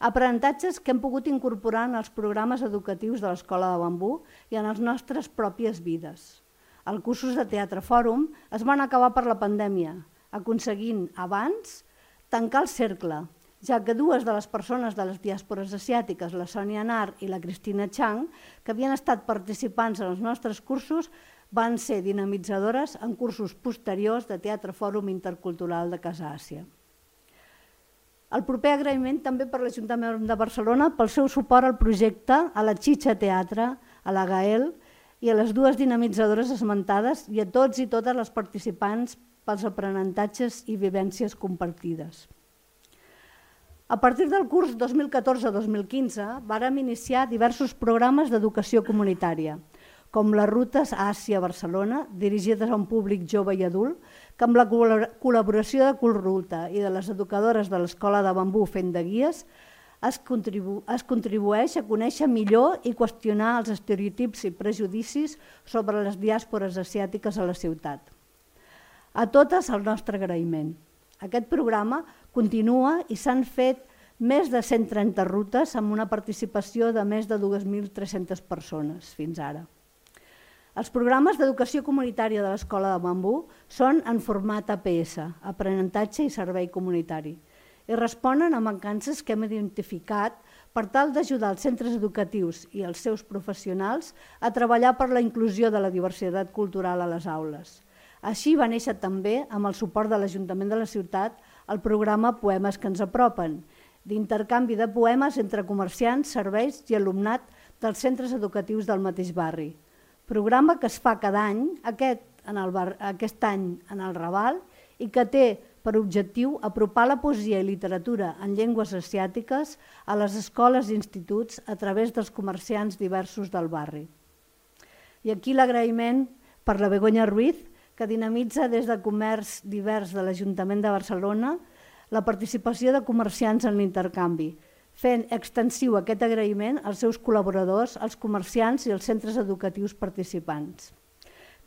Aprenentatges que hem pogut incorporar en els programes educatius de l'Escola de Bambú i en les nostres pròpies vides. Els cursos de Teatre Fòrum es van acabar per la pandèmia, aconseguint abans tancar el cercle, ja que 2 de les persones de les diàspores asiàtiques, la Sònia Nar i la Cristina Chang, que havien estat participants en els nostres cursos, van ser dinamitzadores en cursos posteriors de Teatre Fòrum Intercultural de Casa Àsia. El proper agraïment també per l'Ajuntament de Barcelona pel seu suport al projecte, a la Xitxa Teatre, a la Gael i a les 2 dinamitzadores esmentades i a tots i totes les participants pels aprenentatges i vivències compartides. A partir del curs 2014-2015 vàrem iniciar diversos programes d'educació comunitària, com les rutes a Àsia-Barcelona, dirigides a un públic jove i adult, que amb la col·laboració de Culruta i de les educadores de l'Escola de Bambú fent de guies, es contribueix a conèixer millor i qüestionar els estereotips i prejudicis sobre les diàspores asiàtiques a la ciutat. A totes el nostre agraïment. Aquest programa continua i s'han fet més de 130 rutes amb una participació de més de 2.300 persones fins ara. Els programes d'educació comunitària de l'Escola de Bambú són en format APS, aprenentatge i servei comunitari, i responen a mancances que hem identificat per tal d'ajudar els centres educatius i els seus professionals a treballar per la inclusió de la diversitat cultural a les aules. Així va néixer també, amb el suport de l'Ajuntament de la Ciutat, el programa Poemes que ens apropen, d'intercanvi de poemes entre comerciants, serveis i alumnat dels centres educatius del mateix barri. Programa que es fa cada any, aquest any en el Raval, i que té per objectiu apropar la poesia i literatura en llengües asiàtiques a les escoles i instituts a través dels comerciants diversos del barri. I aquí l'agraïment per la Begoña Ruiz, que dinamitza des de comerç divers de l'Ajuntament de Barcelona la participació de comerciants en l'intercanvi, fent extensiu aquest agraïment als seus col·laboradors, als comerciants i als centres educatius participants.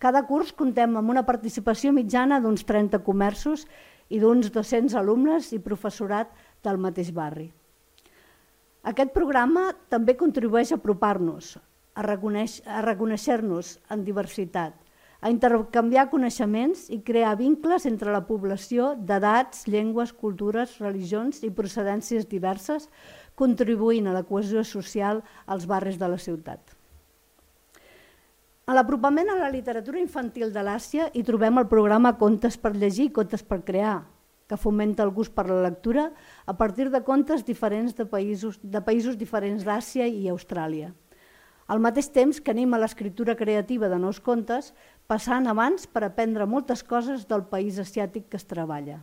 Cada curs comptem amb una participació mitjana d'uns 30 comerços i d'uns 200 alumnes i professorat del mateix barri. Aquest programa també contribueix a apropar-nos, a reconèixer-nos en diversitat, a intercanviar coneixements i crear vincles entre la població d'edats, llengües, cultures, religions i procedències diverses, contribuint a la cohesió social als barris de la ciutat. A l'apropament a la literatura infantil de l'Àsia hi trobem el programa Contes per llegir i Contes per crear, que fomenta el gust per la lectura a partir de contes diferents de països diferents d'Àsia i Austràlia. Al mateix temps que anima l'escriptura creativa de nous contes, passant abans per aprendre moltes coses del país asiàtic que es treballa.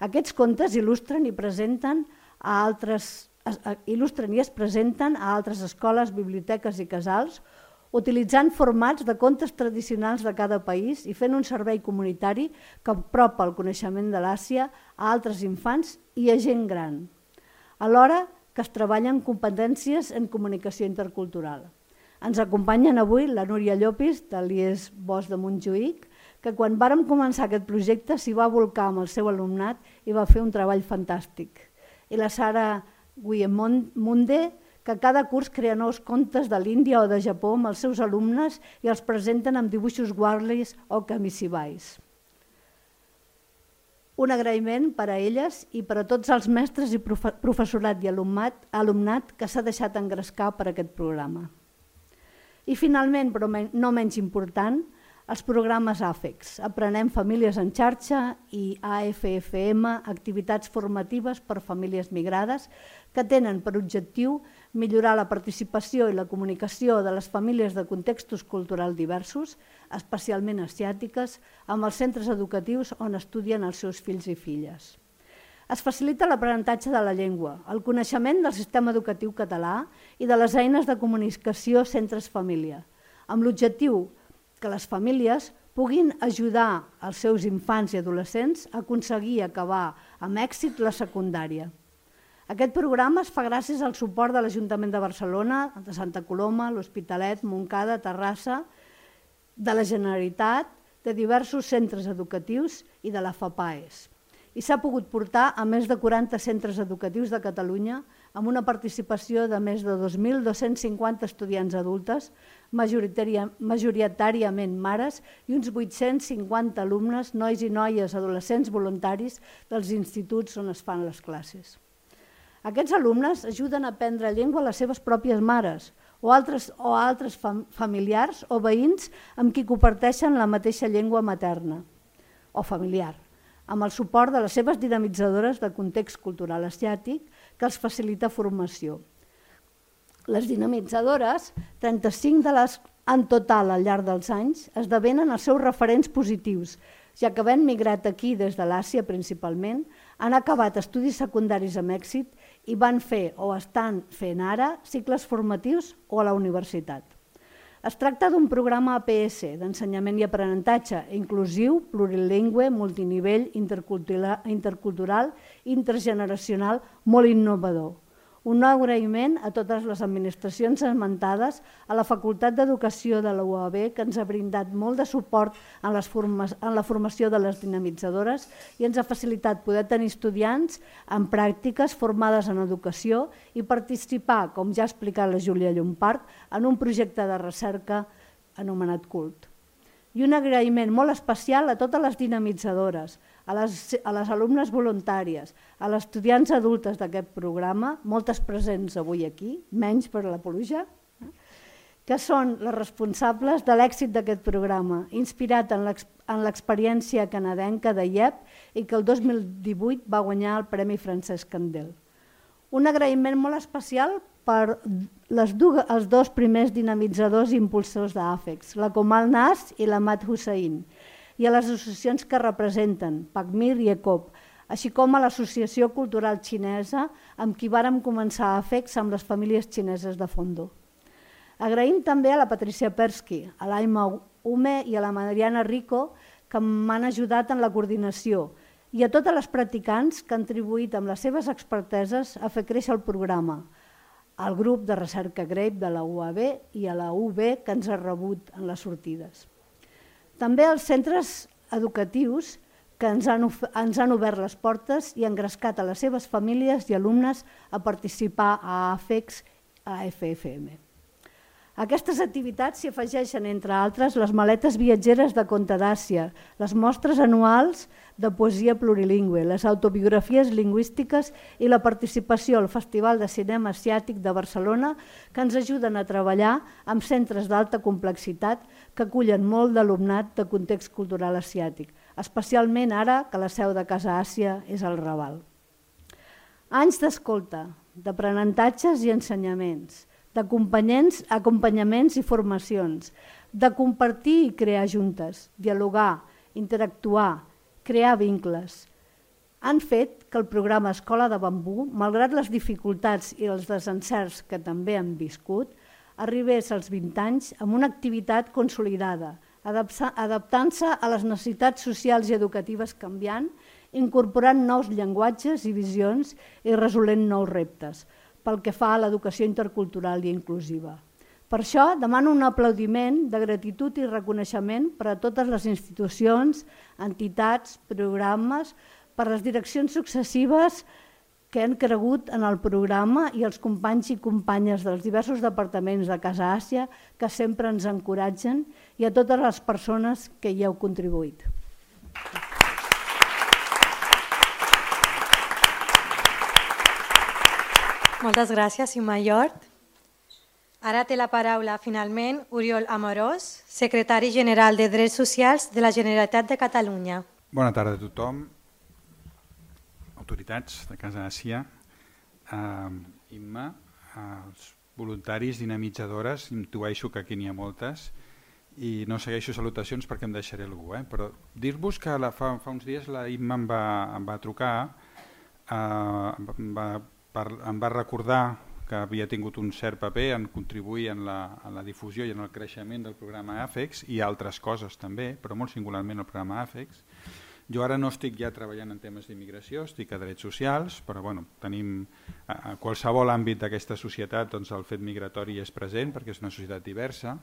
Aquests contes il·lustren i es presenten a altres escoles, biblioteques i casals, utilitzant formats de contes tradicionals de cada país i fent un servei comunitari que apropa el coneixement de l'Àsia a altres infants i a gent gran, alhora que es treballen competències en comunicació intercultural. Ens acompanyen avui la Núria Llopis, de l'IES Bosch de Montjuïc, que quan vàrem començar aquest projecte s'hi va volcar amb el seu alumnat i va fer un treball fantàstic. I la Sara Guillemonde, que cada curs crea nous contes de l'Índia o de Japó amb els seus alumnes i els presenten amb dibuixos warlis o kamisibais. Un agraïment per a elles i per a tots els mestres i professorat i alumnat que s'ha deixat engrescar per aquest programa. I finalment, però no menys important, els programes AFEX, Aprenem Famílies en Xarxa i AFFM, activitats formatives per famílies migrades, que tenen per objectiu millorar la participació i la comunicació de les famílies de contextos culturals diversos, especialment asiàtiques, amb els centres educatius on estudien els seus fills i filles. Es facilita l'aprenentatge de la llengua, el coneixement del sistema educatiu català i de les eines de comunicació centres-família, amb l'objectiu que les famílies puguin ajudar els seus infants i adolescents a aconseguir acabar amb èxit la secundària. Aquest programa es fa gràcies al suport de l'Ajuntament de Barcelona, de Santa Coloma, l'Hospitalet, Montcada, Terrassa, de la Generalitat, de diversos centres educatius i de la FAPAES. I s'ha pogut portar a més de 40 centres educatius de Catalunya amb una participació de més de 2.250 estudiants adultes, majoritàriament mares, i uns 850 alumnes, nois i noies, adolescents voluntaris dels instituts on es fan les classes. Aquests alumnes ajuden a aprendre llengua a les seves pròpies mares o altres familiars o veïns amb qui comparteixen la mateixa llengua materna o familiar, amb el suport de les seves dinamitzadores de context cultural asiàtic que els facilita formació. Les dinamitzadores, 35 de les en total al llarg dels anys, esdevenen els seus referents positius, ja que havent migrat aquí des de l'Àsia principalment, han acabat estudis secundaris amb èxit i van fer o estan fent ara cicles formatius o a la universitat. Es tracta d'un programa APS, d'ensenyament i aprenentatge, inclusiu, plurilingüe, multinivell, intercultural, intergeneracional, molt innovador. Un nou agraïment a totes les administracions esmentades, a la Facultat d'Educació de la UAB, que ens ha brindat molt de suport en la formació de les dinamitzadores i ens ha facilitat poder tenir estudiants en pràctiques formades en educació i participar, com ja ha explicat la Júlia Llompart, en un projecte de recerca anomenat CULT. I un agraïment molt especial a totes les dinamitzadores, a les alumnes voluntàries, a les estudiants adultes d'aquest programa, moltes presents avui aquí, menys per la pluja, que són les responsables de l'èxit d'aquest programa, inspirat en l'experiència canadenca de IEP i que el 2018 va guanyar el Premi Francesc Candel. Un agraïment molt especial per els dos primers dinamitzadors i impulsors d'AFEX, la Komal Nas i la Mat Hussein, i a les associacions que representen, PACMIR i ECOP, així com a l'Associació Cultural Xinesa, amb qui vàrem començar AFEX amb les famílies xineses de Fondo. Agraïm també a la Patricia Persky, a l'Aima Ume i a la Mariana Rico, que m'han ajudat en la coordinació, i a totes les practicants que han contribuït amb les seves experteses a fer créixer el programa, al grup de recerca GRAPE de la UAB i a la UB que ens ha rebut en les sortides. També als centres educatius que ens han obert les portes i engrescat a les seves famílies i alumnes a participar a AFEX, a FFM. A aquestes activitats s'hi afegeixen, entre altres, les maletes viatgeres de Conte d'Àsia, les mostres anuals de poesia plurilingüe, les autobiografies lingüístiques i la participació al Festival de Cinema Asiàtic de Barcelona, que ens ajuden a treballar amb centres d'alta complexitat que acullen molt d'alumnat de context cultural asiàtic, especialment ara que la seu de Casa Àsia és al Raval. Anys d'escolta, d'aprenentatges i ensenyaments, d'acompanyaments i formacions, de compartir i crear juntes, dialogar, interactuar, crear vincles. Han fet que el programa Escola de Bambú, malgrat les dificultats i els desencerts que també han viscut, arribés als 20 anys amb una activitat consolidada, adaptant-se a les necessitats socials i educatives canviant, incorporant nous llenguatges i visions i resolent nous reptes, pel que fa a l'educació intercultural i inclusiva. Per això demano un aplaudiment de gratitud i reconeixement per a totes les institucions, entitats, programes, per les direccions successives que han cregut en el programa i els companys i companyes dels diversos departaments de Casa Àsia que sempre ens encoratgen i a totes les persones que hi heu contribuït. Moltes gràcies, Imma Llort. Ara té la paraula, finalment, Oriol Amorós, secretari general de Drets Socials de la Generalitat de Catalunya. Bona tarda a tothom, autoritats de Casa Àsia, Imma, els voluntaris, dinamitzadores, intueixo que aquí n'hi ha moltes, i no segueixo salutacions perquè em deixaré algú, però dir-vos que fa uns dies la Imma em va trucar, em va recordar que havia tingut un cert paper en contribuir en la difusió i en el creixement del programa AFEX i altres coses també, però molt singularment el programa AFEX. Jo ara no estic ja treballant en temes d'immigració, estic a drets socials, però tenim a qualsevol àmbit d'aquesta societat el fet migratori és present perquè és una societat diversa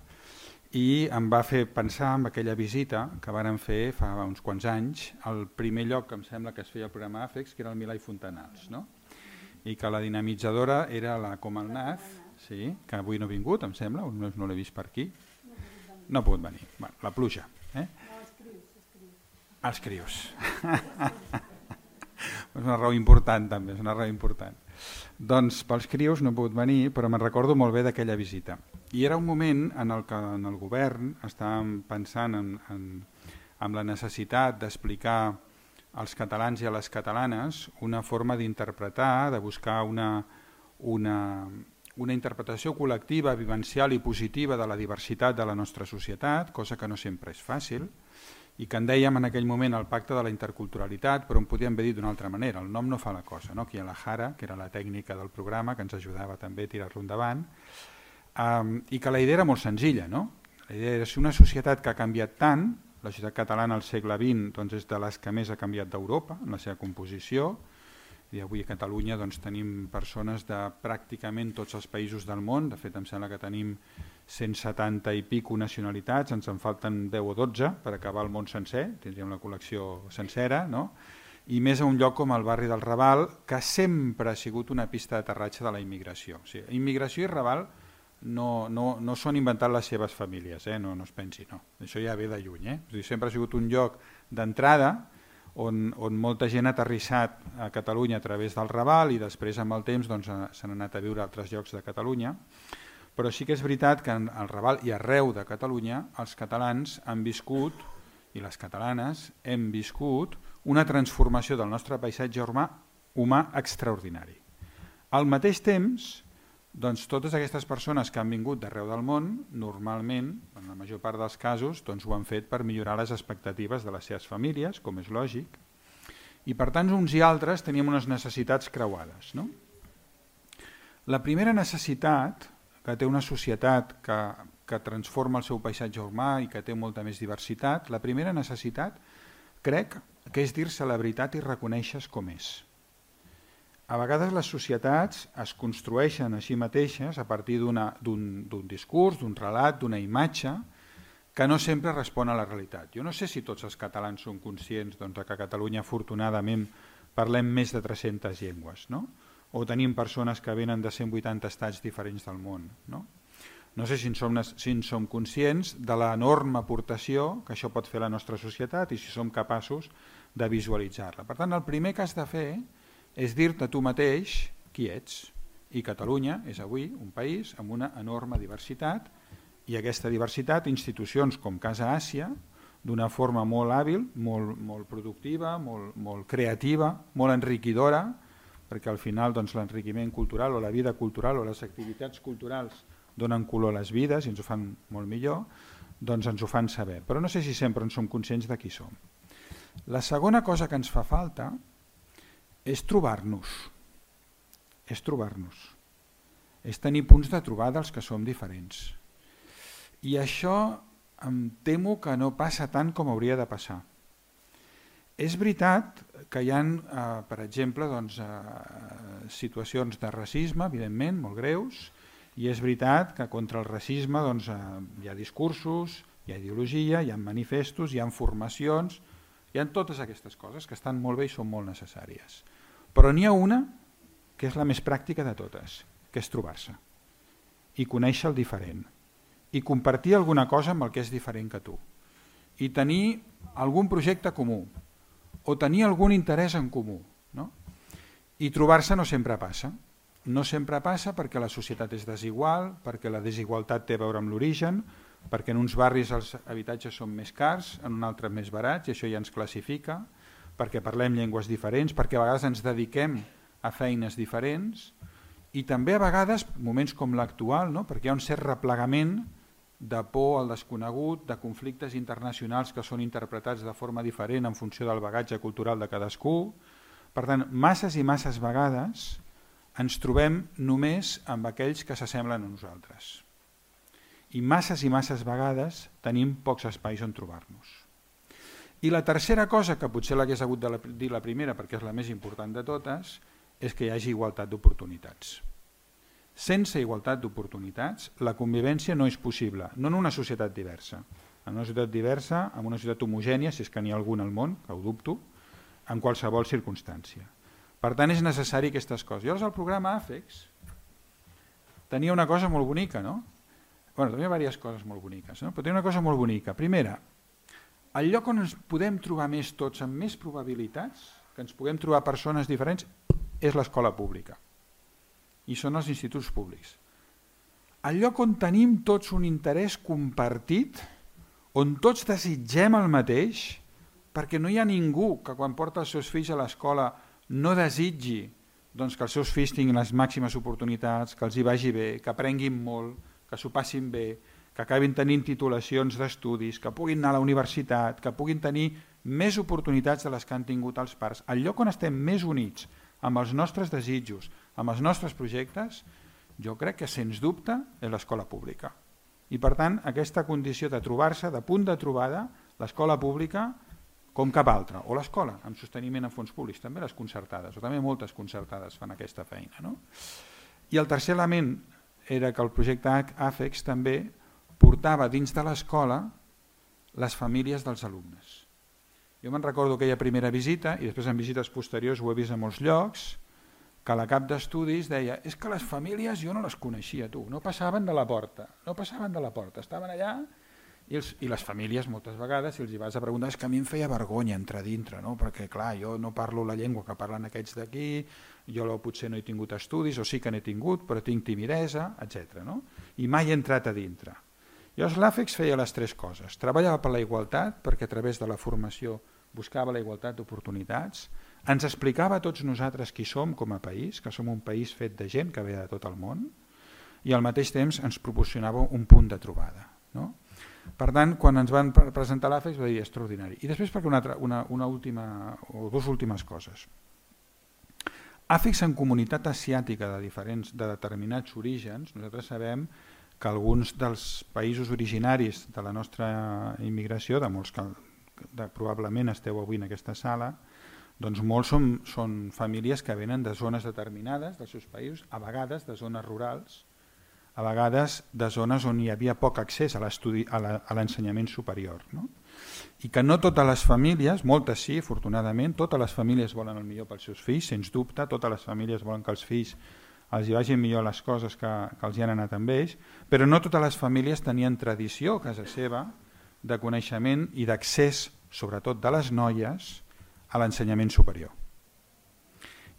i em va fer pensar en aquella visita que vàrem fer fa uns quants anys al primer lloc que em sembla que es feia el programa AFEX, que era el Milà i Fontanals, i que la dinamitzadora era la Comalnaz, que avui no ha vingut, em sembla, no l'he vist per aquí, no ha pogut venir, la pluja. Els crios. És una raó important també, és una raó important. Doncs pels crios no ha pogut venir, però me'n recordo molt bé d'aquella visita. I era un moment en el que en el govern estàvem pensant en la necessitat d'explicar als catalans i a les catalanes una forma d'interpretar, de buscar una interpretació col·lectiva, vivencial i positiva de la diversitat de la nostra societat, cosa que no sempre és fàcil, i que en dèiem en aquell moment el pacte de la interculturalitat, però en podíem haver dit d'una altra manera, el nom no fa la cosa, aquí hi ha la Jara, que era la tècnica del programa, que ens ajudava també a tirar-lo endavant, i que la idea era molt senzilla, la idea era si una societat que ha canviat tant, la societat catalana al segle XX és de les que més ha canviat d'Europa en la seva composició, i avui a Catalunya tenim persones de pràcticament tots els països del món, de fet em sembla que tenim 170 i pico nacionalitats, ens en falten 10 o 12 per acabar el món sencer, tindríem la col·lecció sencera, i més a un lloc com el barri del Raval, que sempre ha sigut una pista d'aterratge de la immigració. Immigració i Raval no s'ho han inventat les seves famílies, no es pensi, això ja ve de lluny. Sempre ha sigut un lloc d'entrada on molta gent ha aterrissat a Catalunya a través del Raval i després amb el temps s'han anat a viure a altres llocs de Catalunya, però sí que és veritat que al Raval i arreu de Catalunya els catalans han viscut, i les catalanes hem viscut, una transformació del nostre paisatge humà extraordinari. Al mateix temps, totes aquestes persones que han vingut d'arreu del món, normalment, en la major part dels casos, ho han fet per millorar les expectatives de les seves famílies, com és lògic, i per tant uns i altres teníem unes necessitats creuades. La primera necessitat que té una societat que transforma el seu paisatge humà i que té molta més diversitat, la primera necessitat crec que és dir-se la veritat i reconèixer com és. A vegades les societats es construeixen a si mateixes a partir d'un discurs, d'un relat, d'una imatge que no sempre respon a la realitat. Jo no sé si tots els catalans són conscients que a Catalunya afortunadament parlem més de 300 llengües, o tenim persones que venen de 180 estats diferents del món. No sé si en som conscients de l'enorme aportació que això pot fer a la nostra societat i si som capaços de visualitzar-la. Per tant, el primer que has de fer és dir-te tu mateix qui ets. I Catalunya és avui un país amb una enorme diversitat i aquesta diversitat, institucions com Casa Àsia, d'una forma molt hàbil, molt productiva, molt creativa, molt enriquidora, perquè al final l'enriquiment cultural o la vida cultural o les activitats culturals donen color a les vides i ens ho fan molt millor, ens ho fan saber. Però no sé si sempre en som conscients de qui som. La segona cosa que ens fa falta és trobar-nos. és tenir punts de trobada dels que som diferents. I això em temo que no passa tant com hauria de passar. És veritat que hi ha, per exemple, situacions de racisme, evidentment, molt greus, i és veritat que contra el racisme hi ha discursos, hi ha ideologia, hi ha manifestos, hi ha formacions, hi ha totes aquestes coses que estan molt bé i són molt necessàries. Però n'hi ha una que és la més pràctica de totes, que és trobar-se i conèixer el diferent i compartir alguna cosa amb el que és diferent que tu i tenir algun projecte comú o tenir algun interès en comú. I trobar-se no sempre passa. No sempre passa perquè la societat és desigual, perquè la desigualtat té a veure amb l'origen, perquè en uns barris els habitatges són més cars, en un altre més barats, i això ja ens classifica, perquè parlem llengües diferents, perquè a vegades ens dediquem a feines diferents, i també a vegades, moments com l'actual, perquè hi ha un cert replegament de por al desconegut, de conflictes internacionals que són interpretats de forma diferent en funció del bagatge cultural de cadascú. Per tant, masses i masses vegades ens trobem només amb aquells que s'assemblen a nosaltres. I masses vegades tenim pocs espais on trobar-nos. I la tercera cosa, que potser l'hagués hagut de dir la primera perquè és la més important de totes, és que hi hagi igualtat d'oportunitats. Sense igualtat d'oportunitats, la convivència no és possible, no en una societat diversa. En una societat diversa, en una societat homogènia, si és que n'hi ha algun al món, que ho dubto, en qualsevol circumstància. Per tant, és necessari aquestes coses. I llavors el programa AFEX tenia una cosa molt bonica, no? Bueno, tenia diverses coses molt boniques, no? Però tenia una cosa molt bonica. Primera, el lloc on ens podem trobar més tots amb més probabilitats, que ens puguem trobar persones diferents, és l'escola pública. I són els instituts públics. El lloc on tenim tots un interès compartit, on tots desitgem el mateix, perquè no hi ha ningú que quan porta els seus fills a l'escola no desitgi que els seus fills tinguin les màximes oportunitats, que els hi vagi bé, que aprenguin molt, que s'ho passin bé, que acabin tenint titulacions d'estudis, que puguin anar a la universitat, que puguin tenir més oportunitats de les que han tingut els pares. El lloc on estem més units amb els nostres desitjos, amb els nostres projectes, jo crec que sens dubte és l'escola pública. I per tant, aquesta condició de trobar-se, de punt de trobada, l'escola pública com cap altra, o l'escola amb sosteniment en fons públics, també les concertades, o també moltes concertades fan aquesta feina. No? I el tercer element era que el projecte AFEX també portava dins de l'escola les famílies dels alumnes. Jo me'n recordo aquella primera visita, i després en visites posteriors ho he vist a molts llocs, que la cap d'estudis deia és que les famílies jo no les coneixia, tu, no passaven de la porta, estaven allà, i les famílies moltes vegades, si els hi vas a preguntar, és que a mi em feia vergonya entrar dintre, no? Perquè clar, jo no parlo la llengua que parlen aquests d'aquí, jo potser no he tingut estudis, o sí que n'he tingut, però tinc timidesa, etc. No? I mai he entrat a dintre. Llavors l'AFEX feia les tres coses. Treballava per la igualtat, perquè a través de la formació buscava la igualtat d'oportunitats, ens explicava a tots nosaltres qui som com a país, que som un país fet de gent que ve de tot el món, i al mateix temps ens proporcionava un punt de trobada. No? Per tant, quan ens van presentar l'AFEX va dir extraordinari. I després perquè una última o dues últimes coses. AFEX en comunitat asiàtica de determinats orígens, nosaltres sabem que alguns dels països originaris de la nostra immigració, de molts que probablement esteu avui en aquesta sala, doncs molts són famílies que venen de zones determinades dels seus països, a vegades de zones rurals, a vegades de zones on hi havia poc accés a l'ensenyament superior. No? I que no totes les famílies, moltes sí, afortunadament, totes les famílies volen el millor pels seus fills, sens dubte, totes les famílies volen que els fills els hi vagin millor les coses que els hi han anat amb ells, però no totes les famílies tenien tradició a casa seva de coneixement i d'accés, sobretot de les noies, a l'ensenyament superior.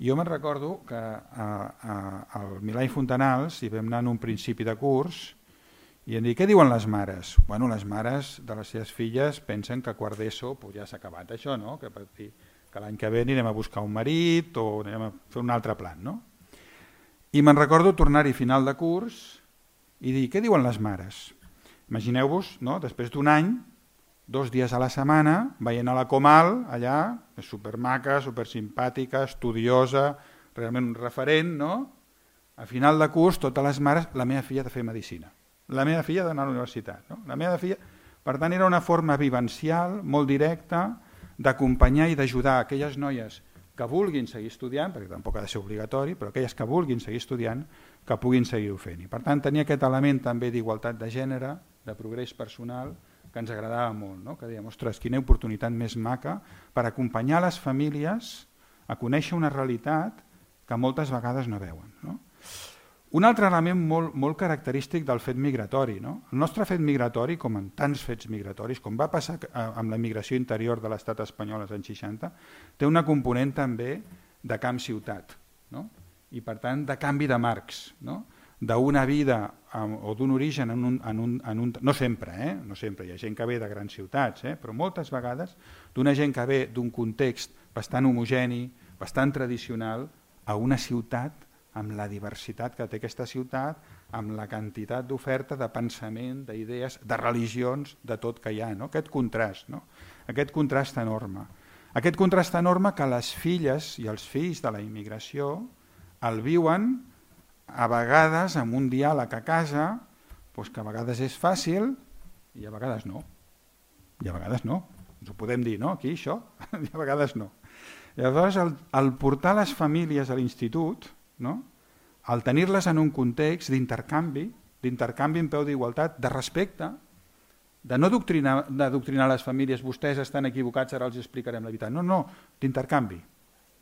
Jo me'n recordo que al Milà i Fontanals hi vam anar en un principi de curs i em dic, què diuen les mares? Bueno, les mares de les seves filles pensen que quart d'ESO ja s'ha acabat això, no? Que l'any que ve anirem a buscar un marit o anirem a fer un altre plan. No? I me'n recordo tornar-hi final de curs i dir, què diuen les mares? Imagineu-vos, no? Després d'un any, 2 dies a la setmana, veient a la Comal, allà, supermaca, supersimpàtica, estudiosa, realment un referent, no? A final de curs, totes les mares, la meva filla ha de fer medicina. La meva filla ha d'anar a la universitat. No? La meva filla... Per tant, era una forma vivencial, molt directa, d'acompanyar i d'ajudar aquelles noies que vulguin seguir estudiant, perquè tampoc ha de ser obligatori, però aquelles que vulguin seguir estudiant, que puguin seguir-ho fent. I per tant, tenia aquest element també d'igualtat de gènere, de progrés personal, que ens agradava molt, no? Que dèiem, ostres, quina oportunitat més maca per acompanyar les famílies a conèixer una realitat que moltes vegades no veuen. No? Un altre element molt característic del fet migratori. No? El nostre fet migratori, com en tants fets migratoris, com va passar amb la migració interior de l'estat espanyol als anys 60, té una component també de camp-ciutat, no? I per tant de canvi de marcs, no? D'una vida o d'un origen no sempre, no sempre, hi ha gent que ve de grans ciutats, però moltes vegades d'una gent que ve d'un context bastant homogeni, bastant tradicional, a una ciutat amb la diversitat que té aquesta ciutat, amb la quantitat d'oferta, de pensament, d'idees, de religions, de tot que hi ha, no? Aquest contrast, no? Aquest contrast enorme. Aquest contrast enorme que les filles i els fills de la immigració el viuen a vegades amb un diàleg a casa, doncs que a vegades és fàcil i a vegades no. I a vegades no. Ens ho podem dir, no? Aquí, això, i a vegades no. Llavors, el portar les famílies a l'institut, no? El tenir-les en un context d'intercanvi en peu d'igualtat, de respecte, de no adoctrinar les famílies, vostès estan equivocats, ara els explicarem la veritat. No, d'intercanvi,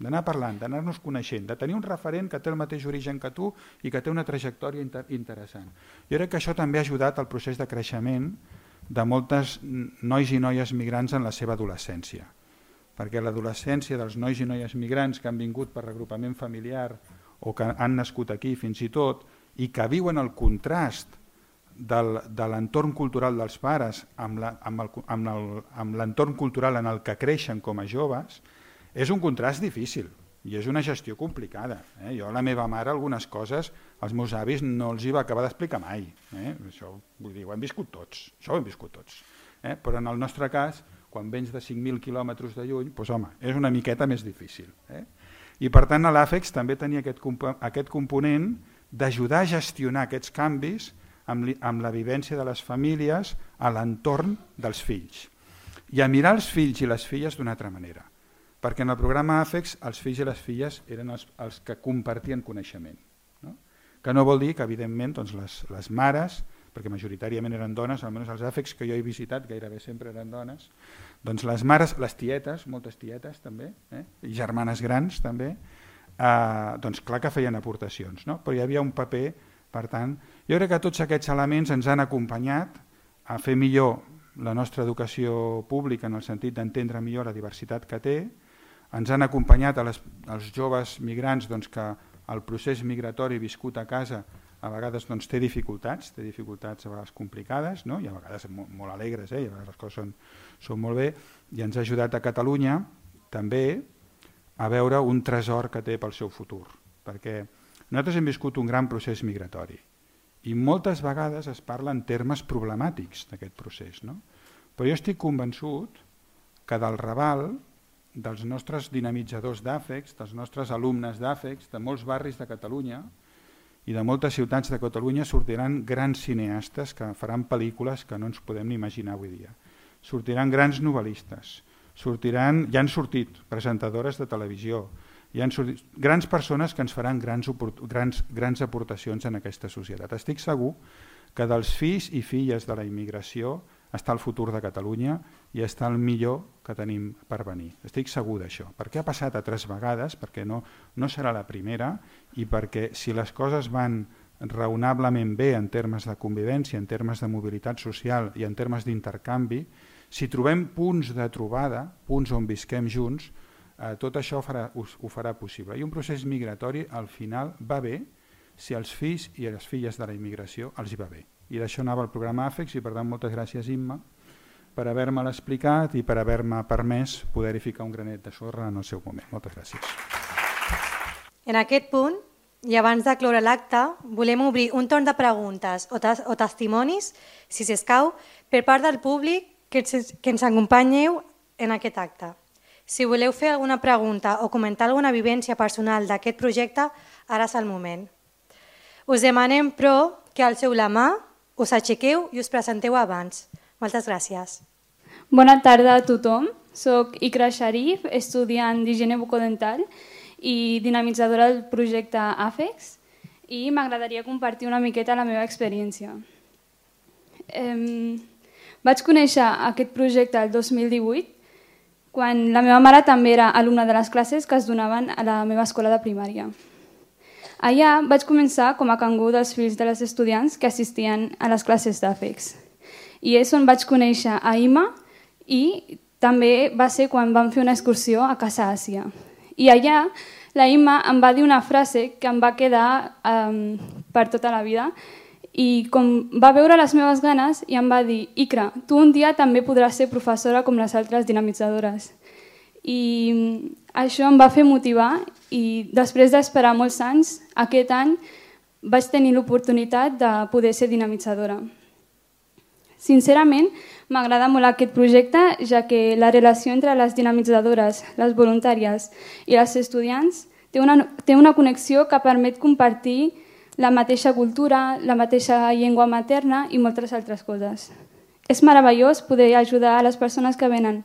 d'anar parlant, d'anar-nos coneixent, de tenir un referent que té el mateix origen que tu i que té una trajectòria interessant. Jo crec que això també ha ajudat al procés de creixement de moltes nois i noies migrants en la seva adolescència, perquè l'adolescència dels nois i noies migrants que han vingut per regrupament familiar o que han nascut aquí fins i tot i que viuen el contrast de l'entorn cultural dels pares amb l'entorn cultural en el que creixen com a joves, és un contrast difícil i és una gestió complicada. Jo a la meva mare algunes coses als meus avis no els hi va acabar d'explicar mai. Això, vull dir, ho hem viscut tots, això ho hem viscut tots. Però en el nostre cas, quan vens de 5.000 quilòmetres de lluny, doncs home, és una miqueta més difícil. I per tant l'AFEX també tenia aquest component d'ajudar a gestionar aquests canvis amb la vivència de les famílies a l'entorn dels fills. I a mirar els fills i les filles d'una altra manera, perquè en el programa AFEX els fills i les filles eren els que compartien coneixement. Que no vol dir que evidentment les mares, perquè majoritàriament eren dones, almenys els AFEX que jo he visitat gairebé sempre eren dones, doncs les mares, les tietes, moltes tietes també, i germanes grans també, doncs clar que feien aportacions, però hi havia un paper, per tant, jo crec que tots aquests elements ens han acompanyat a fer millor la nostra educació pública en el sentit d'entendre millor la diversitat que té, ens han acompanyat als joves migrants que el procés migratori viscut a casa a vegades té dificultats a vegades complicades, i a vegades molt alegres, i a vegades les coses són molt bé, i ens ha ajudat a Catalunya també a veure un tresor que té pel seu futur, perquè nosaltres hem viscut un gran procés migratori i moltes vegades es parla en termes problemàtics d'aquest procés, però jo estic convençut que del Raval, dels nostres dinamitzadors d'AFEX, dels nostres alumnes d'AFEX, de molts barris de Catalunya i de moltes ciutats de Catalunya sortiran grans cineastes que faran pel·lícules que no ens podem ni imaginar avui dia. Sortiran grans novel·listes, ja han sortit presentadores de televisió, hi han sortit grans persones que ens faran grans aportacions en aquesta societat. Estic segur que dels fills i filles de la immigració està el futur de Catalunya i està el millor que tenim per venir. Estic segur d'això, perquè ha passat altres vegades, perquè no serà la primera i perquè si les coses van raonablement bé en termes de convivència, en termes de mobilitat social i en termes d'intercanvi, si trobem punts de trobada, punts on visquem junts, tot això ho farà possible. I un procés migratori al final va bé si als fills i a les filles de la immigració els hi va bé. I d'això anava el programa AFEX i per tant moltes gràcies Imma per haver-me l'explicat i per haver-me permès poder-hi ficar un granet de sorra en el seu moment. Moltes gràcies. En aquest punt, i abans de cloure l'acte, volem obrir un torn de preguntes o testimonis, si s'escau, per part del públic que ens acompanyeu en aquest acte. Si voleu fer alguna pregunta o comentar alguna vivència personal d'aquest projecte, ara és el moment. Us demanem, però, que alceu la mà, us aixequeu i us presenteu abans. Moltes gràcies. Bona tarda a tothom. Soc Ikra Sharif, estudiant d'higiene bucodental i dinamitzadora del projecte AFEX, i m'agradaria compartir una miqueta la meva experiència. Vaig conèixer aquest projecte el 2018, quan la meva mare també era alumna de les classes que es donaven a la meva escola de primària. Allà vaig començar com a cangur dels fills de les estudiants que assistien a les classes d'AFEX. I és on vaig conèixer a Ima, i també va ser quan vam fer una excursió a Casa Àsia. I allà la Ima em va dir una frase que em va quedar per tota la vida, i com va veure les meves ganes i em va dir: Ikra, tu un dia també podràs ser professora com les altres dinamitzadores. I això em va fer motivar, i després d'esperar molts anys, aquest any vaig tenir l'oportunitat de poder ser dinamitzadora. Sincerament, m'agrada molt aquest projecte, ja que la relació entre les dinamitzadores, les voluntàries i les estudiants té una connexió que permet compartir la mateixa cultura, la mateixa llengua materna i moltes altres coses. És meravellós poder ajudar a les persones que venen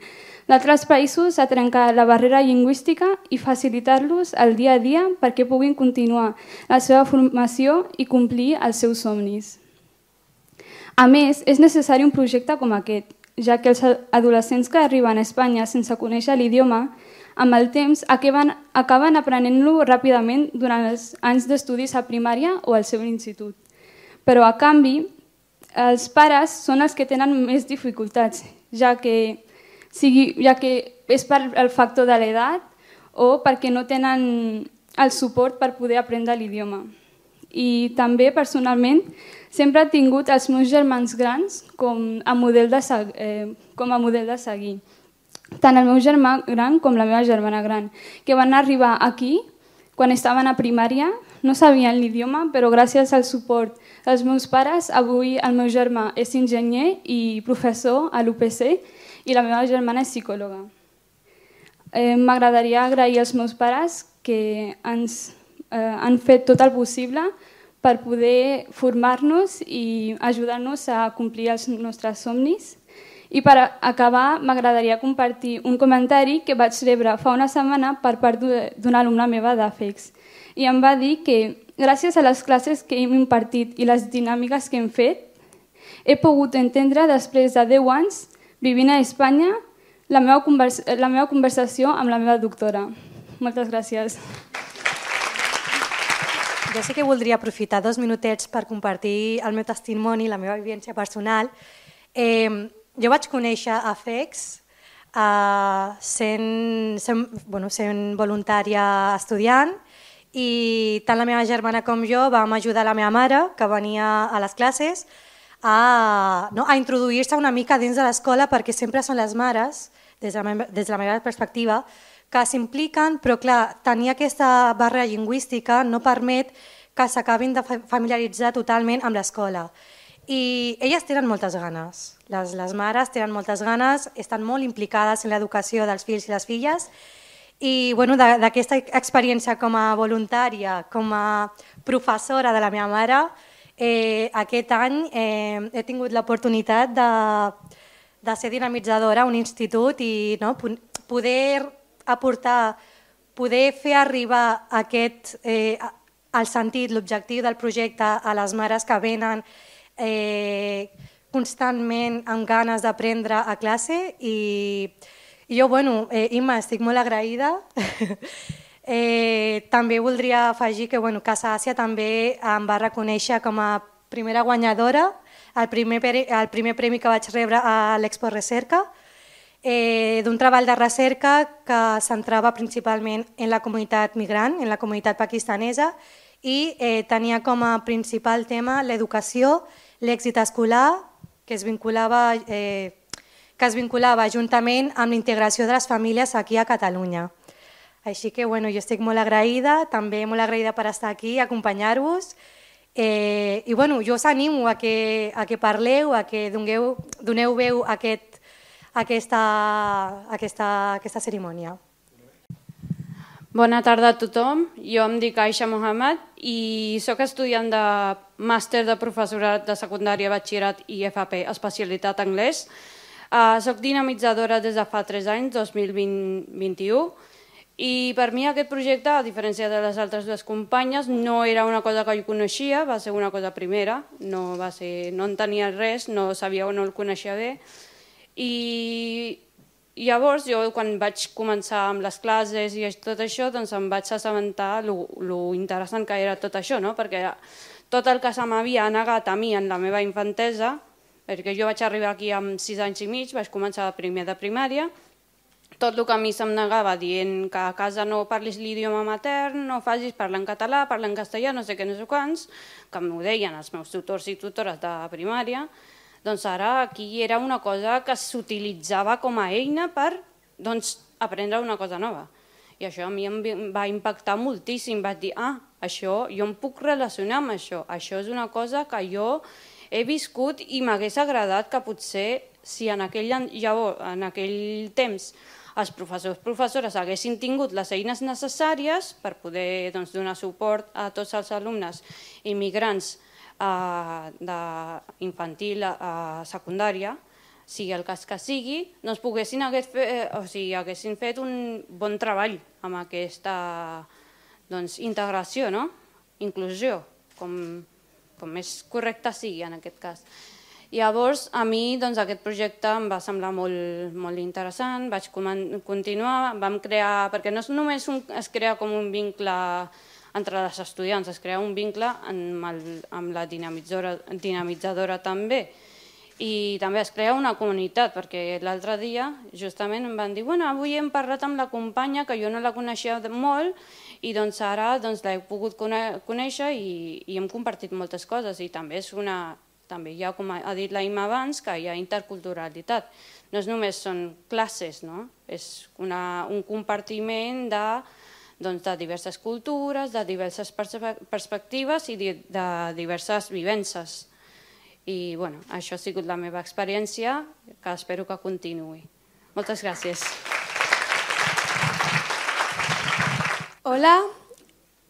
d'altres països a trencar la barrera lingüística i facilitar-los el dia a dia perquè puguin continuar la seva formació i complir els seus somnis. A més, és necessari un projecte com aquest, ja que els adolescents que arriben a Espanya sense conèixer l'idioma, amb el temps acaben aprenent-lo ràpidament durant els anys d'estudis a primària o al seu institut. Però, a canvi, els pares són els que tenen més dificultats, ja que és per el factor de l'edat o perquè no tenen el suport per poder aprendre l'idioma. I també, personalment, sempre he tingut els meus germans grans com a model de seguir. Tant el meu germà gran com la meva germana gran, que van arribar aquí quan estaven a primària, no sabien l'idioma, però gràcies al suport dels meus pares, avui el meu germà és enginyer i professor a l'UPC i la meva germana és psicòloga. M'agradaria agrair als meus pares que ens han fet tot el possible per poder formar-nos i ajudar-nos a complir els nostres somnis. I per acabar, m'agradaria compartir un comentari que vaig rebre fa una setmana per part d'una alumna meva d'AFEX. I em va dir que, gràcies a les classes que hem impartit i les dinàmiques que hem fet, he pogut entendre, després de 10 anys, vivint a Espanya, la meva conversació amb la meva doctora. Moltes gràcies. Jo sí que voldria aprofitar 2 minutets per compartir el meu testimoni, la meva vivència personal. Jo vaig conèixer AFEX sent voluntària estudiant, i tant la meva germana com jo vam ajudar la meva mare, que venia a les classes, a introduir-se una mica dins de l'escola, perquè sempre són les mares, des de la meva perspectiva, que s'impliquen, però clar, tenir aquesta barrera lingüística no permet que s'acabin de familiaritzar totalment amb l'escola. I elles tenen moltes ganes, les mares tenen moltes ganes, estan molt implicades en l'educació dels fills i les filles, i d'aquesta experiència com a voluntària, com a professora de la meva mare, aquest any he tingut l'oportunitat de ser dinamitzadora a un institut i poder aportar, poder fer arribar el sentit, l'objectiu del projecte a les mares que venen constantment amb ganes d'aprendre a classe. I jo, Imma, estic molt agraïda. També voldria afegir que Casa Àsia també em va reconèixer com a primera guanyadora el primer premi que vaig rebre a l'Expo Recerca, d'un treball de recerca que centrava principalment en la comunitat migrant, en la comunitat pakistanesa, i tenia com a principal tema l'educació, l'èxit escolar, que es vinculava juntament amb la integració de les famílies aquí a Catalunya. Així que jo estic molt agraïda, també molt agraïda per estar aquí i acompanyar-vos. I jo us animo a que parleu, a que doneu veu a aquesta cerimònia. Bona tarda a tothom. Jo em dic Aisha Mohamed i sóc estudiant de màster de professorat de secundària, batxillerat i FP, especialitat anglès. Soc dinamitzadora des de fa 3 anys, 2021, i per mi aquest projecte, a diferència de les altres dues companyes, no era una cosa que jo coneixia, va ser una cosa primera, no en tenia res, no sabia o no el coneixia bé. I llavors, jo quan vaig començar amb les classes i tot això, doncs em vaig assabentar lo interessant que era tot això, perquè tot el que se m'havia negat a mi en la meva infantesa, perquè jo vaig arribar aquí amb 6 anys i mig, vaig començar primer de primària, tot el que a mi se'm negava dient que a casa no parlis l'idioma matern, no facis, parla en català, parla en castellà, no sé què, no sé quants, que m'ho deien els meus tutors i tutores de primària, doncs ara aquí era una cosa que s'utilitzava com a eina per aprendre una cosa nova. I això a mi em va impactar moltíssim. Vaig dir, això jo em puc relacionar amb això. Això és una cosa que jo he viscut i m'hagués agradat que potser, si en aquell temps els professors i professores haguessin tingut les eines necessàries per poder donar suport a tots els alumnes immigrants d'infantil a secundària, sigui el cas que sigui, doncs haguessin fet un bon treball amb aquesta integració, inclusió, com més correcte sigui en aquest cas. Llavors, a mi aquest projecte em va semblar molt interessant, vaig continuar, vam crear, perquè no només es crea com un vincle entre les estudiants, es crea un vincle amb la dinamitzadora també. I també es crea una comunitat, perquè l'altre dia justament em van dir avui hem parlat amb la companya que jo no la coneixia molt i ara l'he pogut conèixer i hem compartit moltes coses i també hi ha, com ha dit la Imma abans, que hi ha interculturalitat. No només són classes, és un compartiment de diverses cultures, de diverses perspectives i de diverses vivències. I això ha sigut la meva experiència, que espero que continuï. Moltes gràcies. Hola,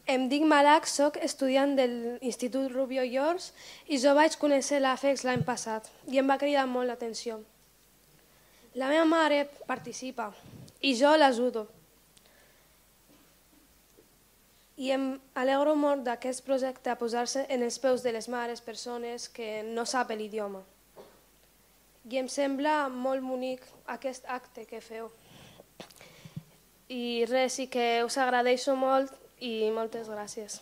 em dic Malak, soc estudiant de l'Institut Rubio Llors i jo vaig conèixer l'AFEX l'any passat i em va cridar molt l'atenció. La meva mare participa i jo l'ajudo. I em alegro molt d'aquest projecte a posar-se en els peus de les mares, persones que no saben l'idioma. I em sembla molt bonic aquest acte que feu. I res, i que us agraeixo molt i moltes gràcies.